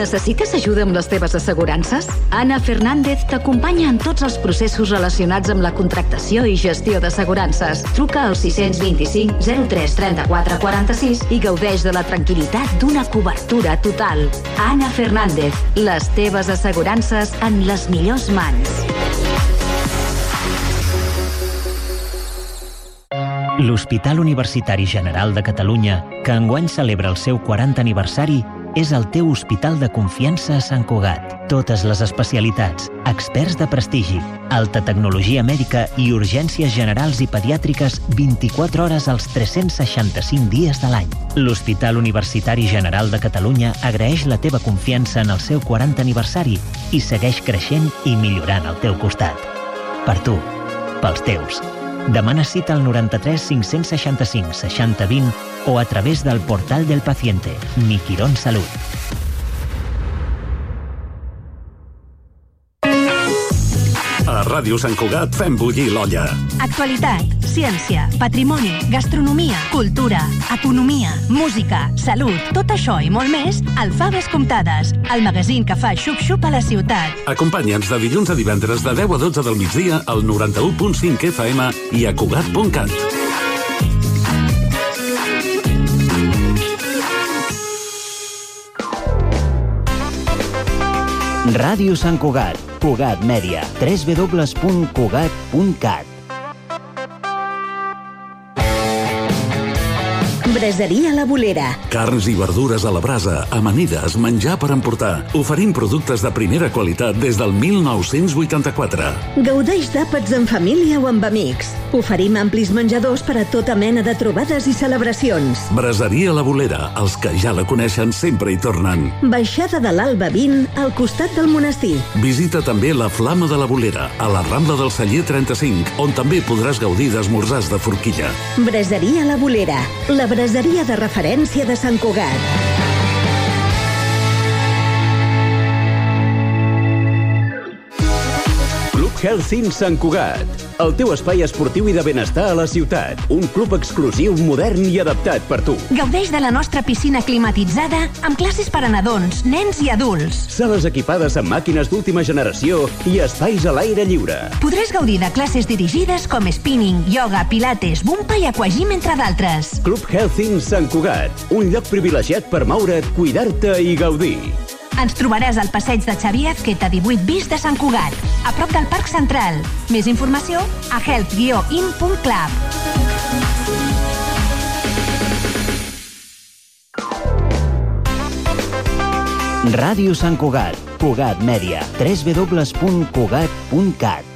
Necessites ajuda amb les teves assegurances? Anna Fernández t'acompanya en tots els processos relacionats amb la contractació i gestió d'assegurances. Truca al 625 03 34 46 i gaudeix de la tranquil·litat d'una cobertura total. Anna Fernández, les teves assegurances en les millors mans. L'Hospital Universitari General de Catalunya, que enguany celebra el seu 40 aniversari, és el teu hospital de confiança a Sant Cugat. Totes les especialitats, experts de prestigi, alta tecnologia mèdica i urgències generals i pediàtriques 24 hores als 365 dies de l'any. L'Hospital Universitari General de Catalunya agraeix la teva confiança en el seu 40 aniversari i segueix creixent i millorant al teu costat. Per tu, pels teus. Demana cita al 93 565 60 20 o a través del portal del paciente. Mi Quirón Salud. A Ràdio Sant Cugat fem bullir l'olla. Actualitat, ciència, patrimoni, gastronomia, cultura, economia, música, salut, tot això i molt més al Faves Comptades, el magazín que fa xup-xup a la ciutat. Acompanya'ns de dilluns a divendres de 10 a 12 del migdia al 91.5 FM i a Cugat.cat. Ràdio Sant Cugat, Cugat Mèdia, www.cugat.cat. Braseria La Bolera. Carns i verdures a la brasa, amanides, menjar per emportar. Oferim productes de primera qualitat des del 1984. Gaudeix d'àpats en família o amb amics. Oferim amplis menjadors per a tota mena de trobades i celebracions. Braseria La Bolera. Els que ja la coneixen sempre hi tornen. Baixada de l'Alba 20, al costat del monestir. Visita també la Flama de la Bolera, a la Rambla del Celler 35, on també podràs gaudir d'esmorzars de forquilla. Braseria La Bolera, la braseria de referència de Sant Cugat. Club Healthing Sant Cugat, el teu espai esportiu i de benestar a la ciutat. Un club exclusiu, modern i adaptat per tu. Gaudeix de la nostra piscina climatitzada amb classes per a nadons, nens i adults. Sales equipades amb màquines d'última generació i espais a l'aire lliure. Podràs gaudir de classes dirigides com spinning, yoga, pilates, bumpa i aquagym, entre d'altres. Club Healthing Sant Cugat, un lloc privilegiat per moure't, cuidar-te i gaudir. Ens trobaràs al passeig de Xavier Azqueta 18 bis de Sant Cugat, a prop del Parc Central. Més informació a health-in.club. Ràdio Sant Cugat, Cugat Mèdia, www.cugat.cat.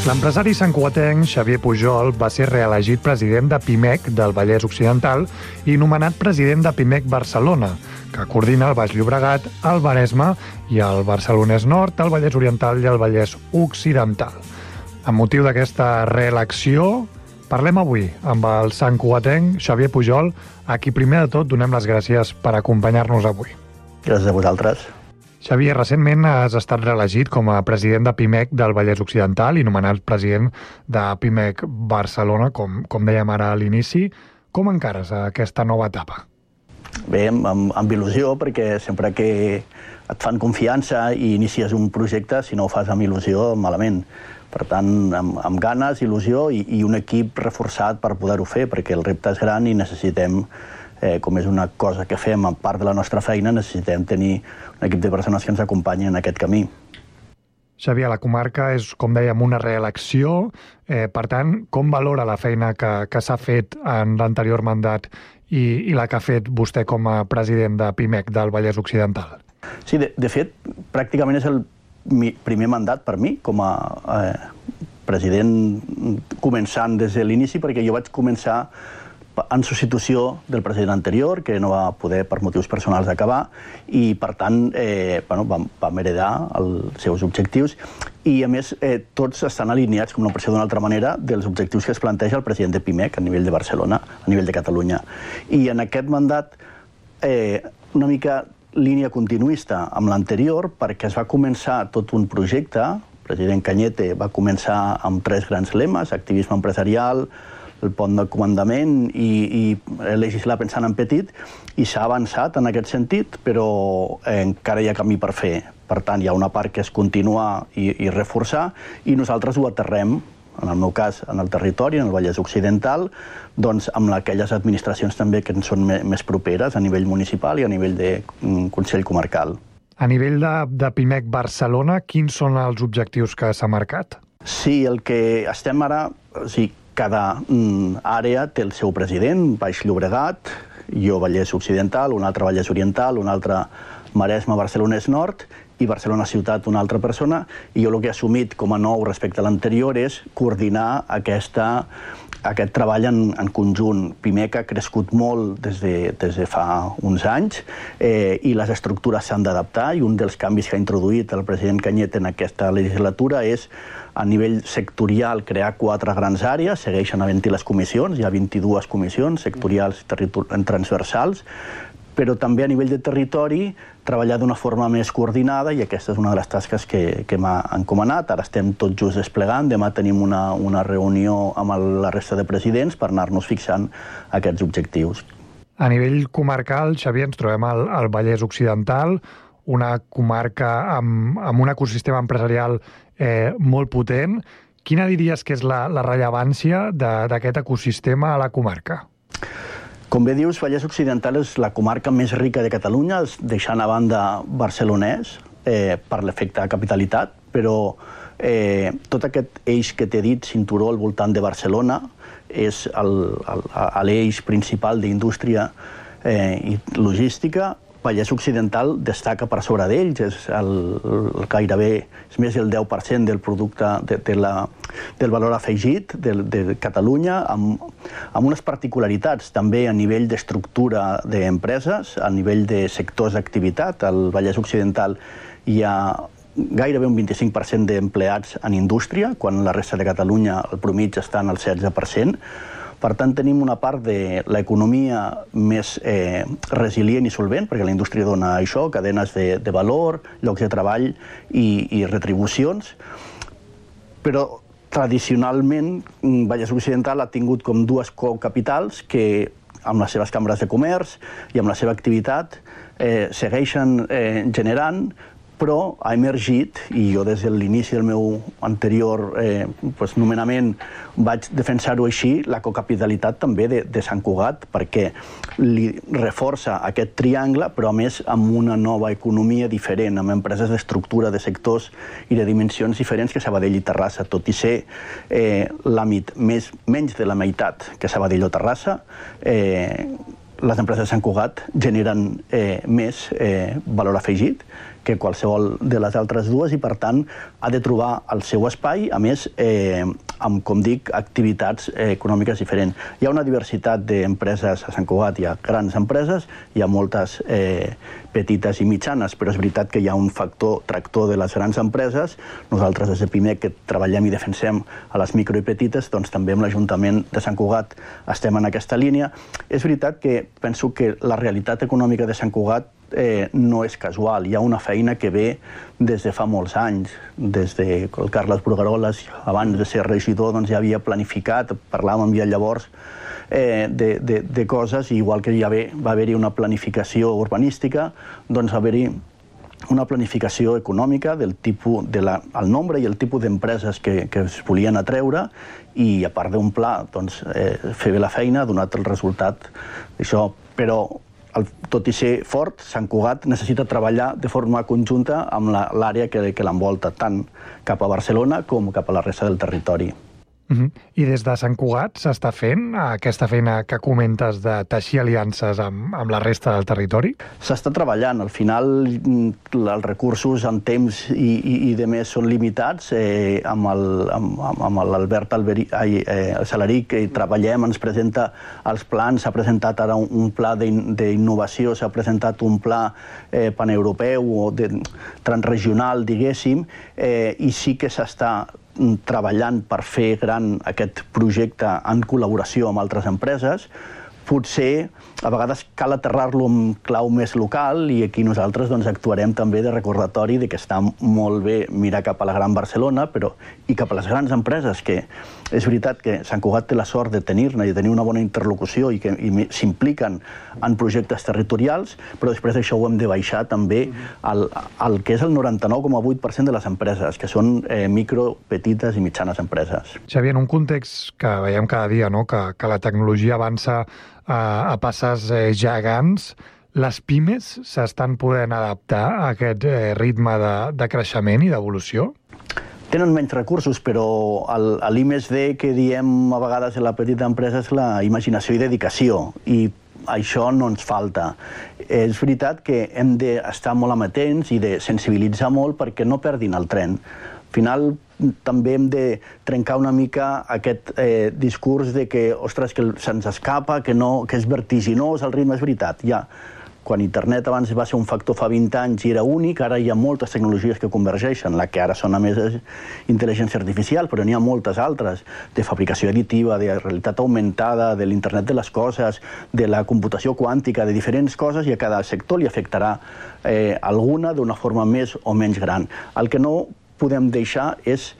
L'empresari santcugatenc Xavier Pujol va ser reelegit president de PIMEC del Vallès Occidental i nomenat president de PIMEC Barcelona, que coordina el Baix Llobregat, el Maresme i el Barcelonès Nord, el Vallès Oriental i el Vallès Occidental. Amb motiu d'aquesta reelecció, parlem avui amb el santcugatenc Xavier Pujol, a qui primer de tot donem les gràcies per acompanyar-nos avui. Gràcies a vosaltres. Xavier, recentment has estat reelegit com a president de PIMEC del Vallès Occidental i nomenat president de PIMEC Barcelona, com dèiem ara a l'inici. Com encares aquesta nova etapa? Bé, amb il·lusió, perquè sempre que et fan confiança i inicies un projecte, si no ho fas amb il·lusió, malament. Per tant, amb ganes, il·lusió i un equip reforçat per poder-ho fer, perquè el repte és gran i necessitem, com és una cosa que fem a part de la nostra feina, necessitem tenir un equip de persones que ens acompanyin en aquest camí. Xavier, la comarca és, com dèiem, una reelecció. Per tant, com valora la feina que s'ha fet en l'anterior mandat i la que ha fet vostè com a president de PIMEC del Vallès Occidental? Sí, de fet, pràcticament és el primer mandat per mi com a president començant des de l'inici, perquè jo vaig començar en substitució del president anterior, que no va poder, per motius personals, acabar, i, per tant, vam heredar els seus objectius, i, a més, tots estan alineats, com no pot ser d'una altra manera, dels objectius que es planteja el president de PIMEC a nivell de Barcelona, a nivell de Catalunya. I en aquest mandat, una mica línia continuista amb l'anterior, perquè es va començar tot un projecte, el president Cañete va començar amb 3 grans lemes: activisme empresarial, el pont de comandament i legislar pensant en petit, i s'ha avançat en aquest sentit, però encara hi ha camí per fer. Per tant, hi ha una part que és continuar i reforçar, i nosaltres ho aterrem, en el meu cas, en el territori, en el Vallès Occidental, doncs amb aquelles administracions també que ens són més properes, a nivell municipal i a nivell de Consell Comarcal. A nivell de PIMEC Barcelona, quins són els objectius que s'ha marcat? Sí, el que estem ara... Cada àrea té el seu president, Baix Llobregat, jo Vallès Occidental, un altre Vallès Oriental, un altre Maresme, Barcelonès Nord, i Barcelona Ciutat una altra persona, i jo el que he assumit com a nou respecte a l'anterior és coordinar aquest treball en conjunt. PIMEC ha crescut molt des de fa uns anys i les estructures s'han d'adaptar, i un dels canvis que ha introduït el president Cañete en aquesta legislatura és, a nivell sectorial, crear 4 grans àrees. Segueixen havent-hi les comissions, hi ha 22 comissions sectorials i transversals, però també a nivell de territori treballar d'una forma més coordinada, i aquesta és una de les tasques que m'ha encomanat. Ara estem tots just desplegant, demà tenim una reunió amb la resta de presidents per anar-nos fixant aquests objectius. A nivell comarcal, Xavier, ens trobem al Vallès Occidental, una comarca amb un ecosistema empresarial molt potent. Quina diries que és la rellevància d'aquest ecosistema a la comarca? Com bé dius, Vallès Occidental és la comarca més rica de Catalunya, deixant a banda Barcelonès per l'efecte de capitalitat, però tot aquest eix que t'he dit, cinturó al voltant de Barcelona, és l'eix principal d'indústria i logística. Vallès Occidental destaca per sobre d'ells, gairebé és més del 10% del producte del valor afegit de Catalunya, amb unes particularitats també a nivell d'estructura d'empreses, a nivell de sectors d'activitat. Al Vallès Occidental hi ha gairebé un 25% d'empleats en indústria, quan la resta de Catalunya el promigi està en el 16%. Per tant, tenim una part de l'economia més resilient i solvent, perquè la indústria dona això, cadenes de valor, llocs de treball i retribucions. Però tradicionalment, Vallès Occidental ha tingut com dues cocapitals que, amb les seves cambres de comerç i amb la seva activitat, segueixen generant, però ha emergit, i jo des de l'inici del meu anterior nomenament vaig defensar-ho així, la cocapitalitat també de Sant Cugat, perquè li reforça aquest triangle, però a més amb una nova economia diferent, amb empreses d'estructura, de sectors i de dimensions diferents que Sabadell i Terrassa, tot i ser menys de la meitat que Sabadell o Terrassa, les empreses de Sant Cugat generen més valor afegit que qualsevol de les altres dues i, per tant, ha de trobar el seu espai, a més, amb, com dic, activitats econòmiques diferents. Hi ha una diversitat d'empreses a Sant Cugat, hi ha grans empreses, hi ha moltes petites i mitjanes, però és veritat que hi ha un factor tractor de les grans empreses. Nosaltres, des de PIMEC, que treballem i defensem a les micro i petites, doncs també amb l'Ajuntament de Sant Cugat estem en aquesta línia. És veritat que penso que la realitat econòmica de Sant Cugat no és casual. Hi ha una feina que ve des de fa molts anys. Des de el Carles Brugueroles, abans de ser regidor, ja havia planificat, parlàvem ja llavors de coses, i igual que ja va haver-hi una planificació urbanística, doncs va haver-hi una planificació econòmica del tipus, el nombre i el tipus d'empreses que es volien atreure, i a part d'un pla, fer bé la feina ha donat el resultat d'això. Però tot i ser fort, Sant Cugat necessita treballar de forma conjunta amb l'àrea que l'envolta, tant cap a Barcelona com cap a la resta del territori. I des de Sant Cugat s'està fent aquesta feina que comentes de teixir aliances amb la resta del territori? S'està treballant. Al final, els recursos en temps i de més són limitats. Amb l'Albert Salaric que treballem, ens presenta els plans, s'ha presentat ara un pla d'innovació, s'ha presentat un pla paneuropeu o transregional, diguéssim, i sí que s'està treballant per fer gran aquest projecte en col·laboració amb altres empreses. Potser a vegades cal aterrar-lo en clau més local, i aquí nosaltres actuarem també de recordatori de que està molt bé mirar cap a la Gran Barcelona i cap a les grans empreses, que és veritat que Sant Cugat té la sort de tenir-ne i de tenir una bona interlocució i que s'impliquen en projectes territorials, però després d'això ho hem de baixar també al que és el 99,8% de les empreses, que són micro, petites i mitjanes empreses. Xavier, en un context que veiem cada dia, que la tecnologia avança a passes gegants, les pimes s'estan podent adaptar a aquest ritme de creixement i d'evolució? Tenen menys recursos, però l'I+D que diem a vegades a la petita empresa és la imaginació i dedicació, i això no ens falta. És veritat que hem d'estar molt amatents i de sensibilitzar molt perquè no perdin el tren. Al final, també hem de trencar una mica aquest discurs de que, ostres, que se'ns escapa, que és vertiginós el ritme. És veritat, quan internet abans va ser un factor fa 20 anys i era únic, ara hi ha moltes tecnologies que convergeixen. La que ara sona més és intel·ligència artificial, però n'hi ha moltes altres, de fabricació additiva, de realitat augmentada, de l'internet de les coses, de la computació quàntica, de diferents coses, i a cada sector li afectarà alguna d'una forma més o menys gran. El que no podem deixar és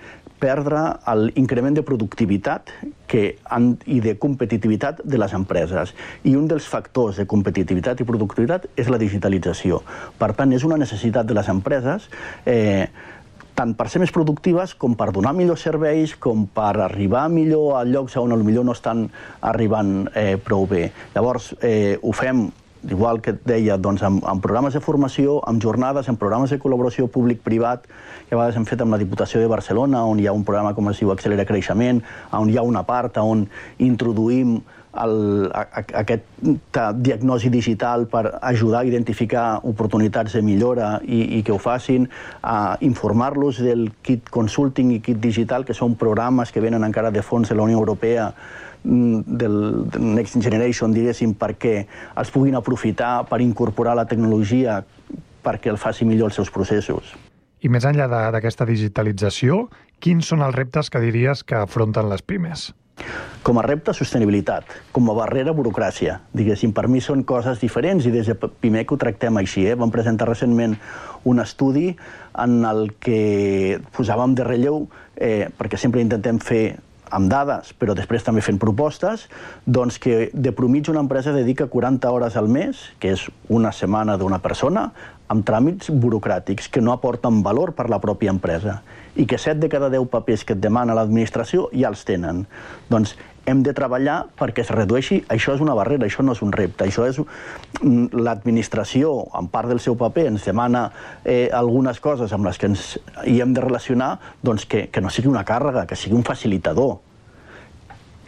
perdre l'increment de productivitat i de competitivitat de les empreses. I un dels factors de competitivitat i productivitat és la digitalització. Per tant, és una necessitat de les empreses tant per ser més productives com per donar millors serveis, com per arribar millor a llocs on potser no estan arribant prou bé. Llavors, ho fem igual que et deia, amb programes de formació, amb jornades, amb programes de col·laboració públic-privat, que a vegades hem fet amb la Diputació de Barcelona, on hi ha un programa com es diu Accelera Creixement, on hi ha una part on introduïm aquesta diagnosi digital per ajudar a identificar oportunitats de millora i que ho facin, a informar-los del Kit Consulting i Kit Digital, que són programes que venen encara de fons de la Unió Europea, del Next Generation, diguéssim, perquè els puguin aprofitar per incorporar la tecnologia perquè el faci millor els seus processos. I més enllà d'aquesta digitalització, quins són els reptes que diries que afronten les pimes? Com a repte, sostenibilitat. Com a barrera, burocràcia. Diguéssim, per mi són coses diferents i des de Pimec ho tractem així. Vam presentar recentment un estudi en el que posàvem de relleu, perquè sempre intentem fer amb dades, però després també fent propostes, doncs que de mitjana una empresa dedica 40 hores al mes, que és una setmana d'una persona, amb tràmits burocràtics que no aporten valor per la pròpia empresa i que 7 de cada 10 papers que et demana l'administració ja els tenen. Doncs hem de treballar perquè es redueixi. Això és una barrera, això no és un repte. Això és l'administració, en part del seu paper, ens demana algunes coses amb les que ens hi hem de relacionar, doncs que no sigui una càrrega, que sigui un facilitador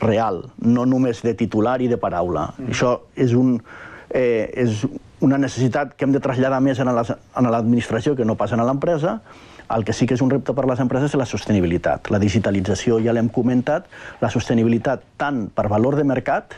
real, no només de titular i de paraula. Això és una necessitat que hem de traslladar més a l'administració que no pas a l'empresa. El que sí que és un repte per a les empreses és la sostenibilitat. La digitalització, ja l'hem comentat, la sostenibilitat tant per valor de mercat,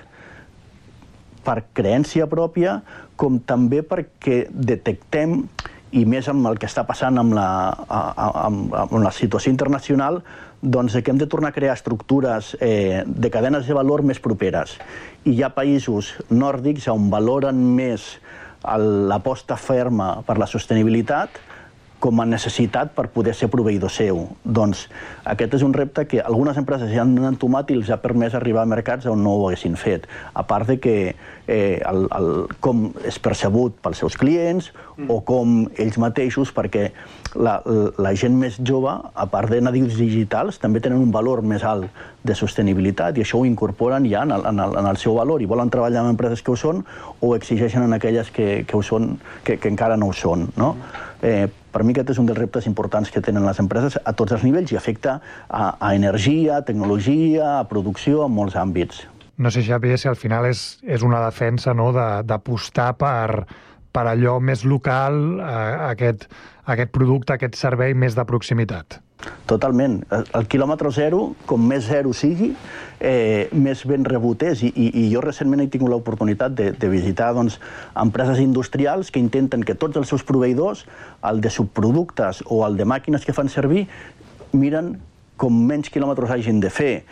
per creença pròpia, com també perquè detectem, i més amb el que està passant amb la situació internacional, doncs que hem de tornar a crear estructures de cadenes de valor més properes. I hi ha països nòrdics on valoren més l'aposta ferma per la sostenibilitat com a necessitat per poder ser proveïdor seu. Doncs aquest és un repte que algunes empreses ja han entomat i els ha permès arribar a mercats on no ho haguessin fet. A part de que com és percebut pels seus clients o com ells mateixos, perquè la gent més jove, a part de nadius digitals, també tenen un valor més alt de sostenibilitat i això ho incorporen ja en el seu valor i volen treballar amb empreses que ho són o exigeixen en aquelles que encara no ho són. Per mi aquest és un dels reptes importants que tenen les empreses a tots els nivells i afecta a energia, a tecnologia, a producció, en molts àmbits. No sé, Xavier, si al final és una defensa d'apostar per allò més local, aquest producte, aquest servei més de proximitat. Totalment. El quilòmetre zero, com més zero sigui, més ben rebut és. I jo recentment he tingut l'oportunitat de visitar empreses industrials que intenten que tots els seus proveïdors, el de subproductes o el de màquines que fan servir, miren com menys quilòmetres hagin de fer.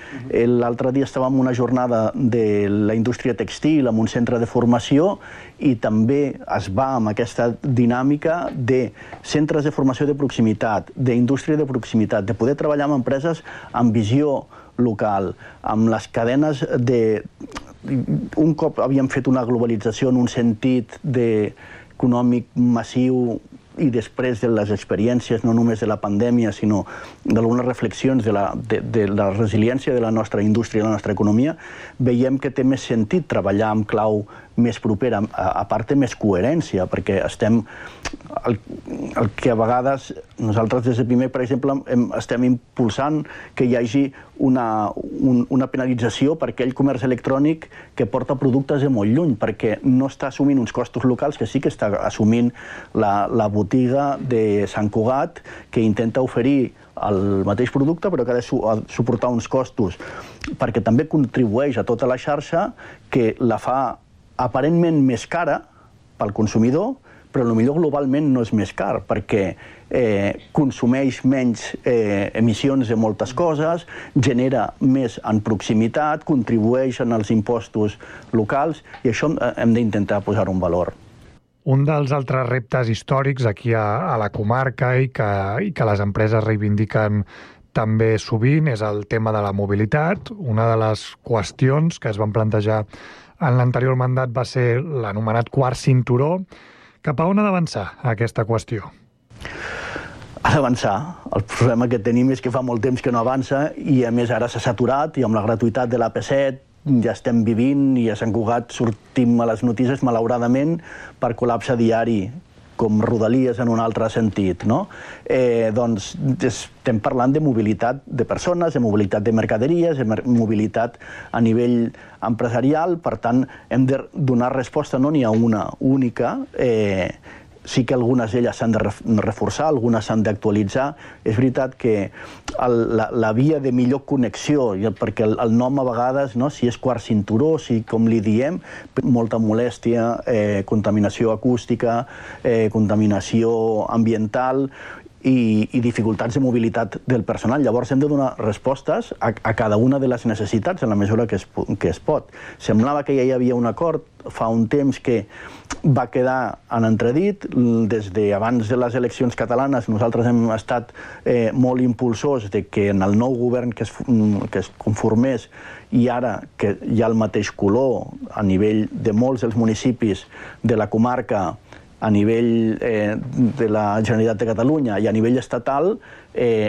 L'altre dia estàvem en una jornada de la indústria textil en un centre de formació i també es va amb aquesta dinàmica de centres de formació de proximitat, d'indústria de proximitat, de poder treballar amb empreses amb visió local, amb les cadenes de... Un cop havíem fet una globalització en un sentit econòmic massiu i després de les experiències, no només de la pandèmia, sinó d'algunes reflexions de la resiliència de la nostra indústria i la nostra economia, veiem que té més sentit treballar amb clau més propera, a part té més coherència, perquè estem... El que a vegades nosaltres des de Pimec, per exemple, estem impulsant que hi hagi una penalització per aquell comerç electrònic que porta productes de molt lluny, perquè no està assumint uns costos locals que sí que està assumint la botiga de Sant Cugat, que intenta oferir el mateix producte però que ha de suportar uns costos, perquè també contribueix a tota la xarxa que la fa aparentment més cara pel consumidor, però potser globalment no és més car, perquè consumeix menys emissions de moltes coses, genera més en proximitat, contribueix en els impostos locals, i això hem d'intentar posar-ho en valor. Un dels altres reptes històrics aquí a la comarca i que les empreses reivindiquen també sovint és el tema de la mobilitat. Una de les qüestions que es van plantejar en l'anterior mandat va ser l'anomenat quart cinturó. Cap a on ha d'avançar aquesta qüestió? Ha d'avançar. El problema que tenim és que fa molt temps que no avança i a més ara s'ha saturat i amb la gratuïtat de l'AP7 ja estem vivint i a Sant Cugat sortim a les notícies, malauradament, per col·lapse diari, com Rodalies en un altre sentit, no? Doncs estem parlant de mobilitat de persones, de mobilitat de mercaderies, de mobilitat a nivell empresarial, per tant, hem de donar resposta, no n'hi ha una única, sí que algunes d'elles s'han de reforçar, algunes s'han d'actualitzar. És veritat que la via de millor connexió, perquè el nom a vegades, si és quart cinturó, si com li diem, molta molèstia, contaminació acústica, contaminació ambiental i dificultats de mobilitat del personal. Llavors hem de donar respostes a cada una de les necessitats en la mesura que es pot. Semblava que ja hi havia un acord fa un temps que va quedar en entredit. Des d'abans de les eleccions catalanes nosaltres hem estat molt impulsors de que en el nou govern que es conformés i ara que hi ha el mateix color a nivell de molts dels municipis de la comarca, a nivell de la Generalitat de Catalunya i a nivell estatal,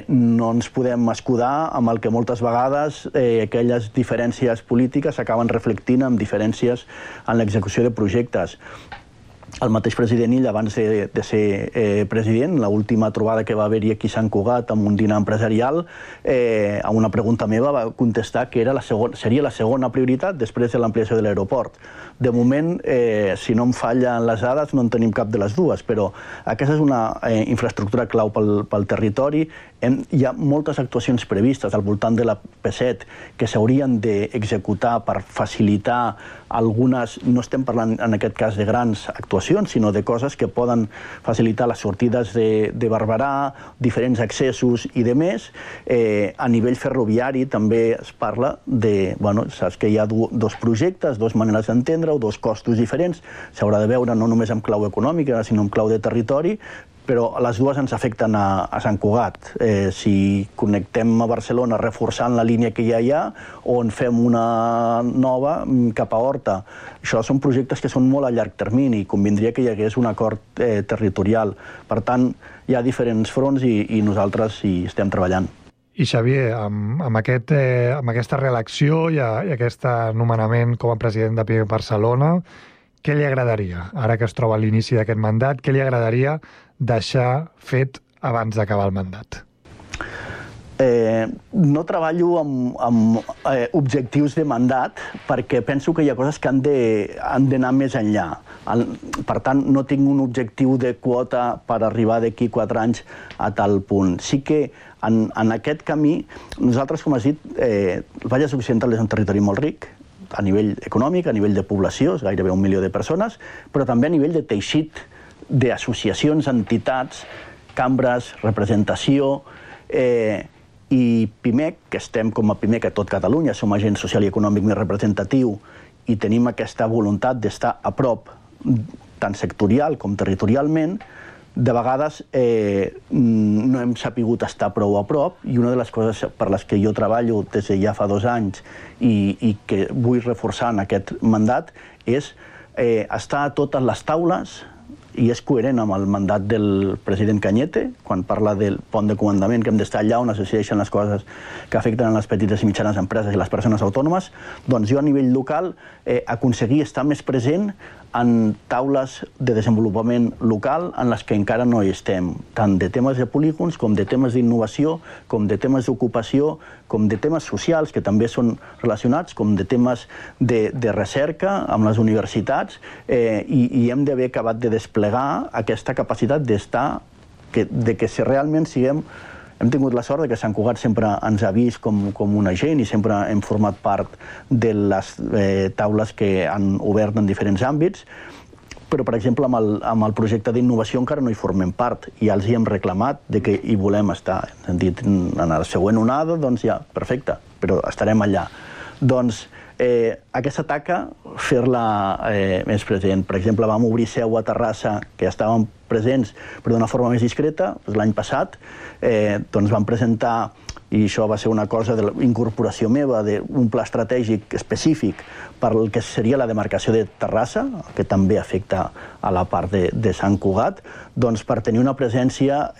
no ens podem escudar amb el que moltes vegades aquelles diferències polítiques s'acaben reflectint amb diferències en l'execució de projectes. El mateix president Illa, abans de ser president, l'última trobada que va haver-hi aquí a Sant Cugat amb un dinar empresarial, a una pregunta meva va contestar que seria la segona prioritat després de l'ampliació de l'aeroport. De moment, si no em fallen les dades, no en tenim cap de les dues, però aquesta és una infraestructura clau pel territori. Hi ha moltes actuacions previstes al voltant de la P7 que s'haurien d'executar per facilitar algunes, no estem parlant en aquest cas de grans actuacions, sinó de coses que poden facilitar les sortides de Barberà, diferents accessos i de més. A nivell ferroviari també es parla de, saps que hi ha dos projectes, dues maneres d'entendre-ho, dos costos diferents, s'haurà de veure no només en clau econòmica, sinó en clau de territori, però les dues ens afecten a Sant Cugat. Si connectem a Barcelona reforçant la línia que ja hi ha o en fem una nova cap a Horta. Això són projectes que són molt a llarg termini i convindria que hi hagués un acord territorial. Per tant, hi ha diferents fronts i nosaltres hi estem treballant. I Xavier, amb aquesta reelecció i aquest nomenament com a president de PIMEC Barcelona, què li agradaria, ara que es troba a l'inici d'aquest mandat, què li agradaria deixar fet abans d'acabar el mandat? No treballo amb objectius de mandat perquè penso que hi ha coses que han d'anar més enllà. Per tant, no tinc un objectiu de quota per arribar d'aquí 4 anys a tal punt. Sí que en aquest camí, nosaltres, com has dit, el Vallès Occidental és un territori molt ric, a nivell econòmic, a nivell de població, és gairebé 1 milió de persones, però també a nivell de teixit d'associacions, entitats, cambres, representació, i PIMEC, que estem com a PIMEC a tot Catalunya, som agent social i econòmic més representatiu i tenim aquesta voluntat d'estar a prop, tant sectorial com territorialment, de vegades no hem sapigut estar prou a prop i una de les coses per les que jo treballo des de ja fa 2 anys i que vull reforçar en aquest mandat és estar a totes les taules i és coherent amb el mandat del president Cañete, quan parla del pont de comandament, que hem d'estar allà on es decideixen les coses que afecten les petites i mitjanes empreses i les persones autònomes, doncs jo a nivell local aconseguir estar més present en taules de desenvolupament local en les que encara no hi estem, tant de temes de polígons, com de temes d'innovació, com de temes d'ocupació, com de temes socials, que també són relacionats, com de temes de recerca amb les universitats, i hem d'haver acabat de desplegar aquesta capacitat d'estar, de que si realment siguem... Hem tingut la sort que Sant Cugat sempre ens ha vist com un agent i sempre hem format part de les taules que han obert en diferents àmbits, però, per exemple, amb el projecte d'innovació encara no hi formem part i ja els hi hem reclamat que hi volem estar. Hem dit, en la següent onada, doncs ja, perfecte, però estarem allà. Doncs aquesta taca, fer-la més present. Per exemple, vam obrir seu a Terrassa, que ja estàvem presents, però d'una forma més discreta. L'any passat vam presentar i això va ser una cosa de l'incorporació meva d'un pla estratègic específic per el que seria la demarcació de Terrassa, que també afecta a la part de Sant Cugat, doncs per tenir una presència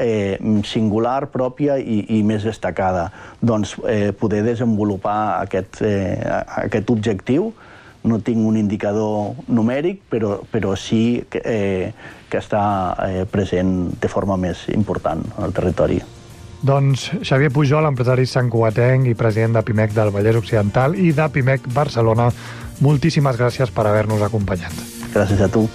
singular, pròpia i més destacada. Doncs poder desenvolupar aquest objectiu. No tinc un indicador numèric, però sí que està present de forma més important al territori. Doncs Xavier Pujol, empresari santcugatenc i president de PIMEC del Vallès Occidental i de PIMEC Barcelona, moltíssimes gràcies per haver-nos acompanyat. Gràcies a tu.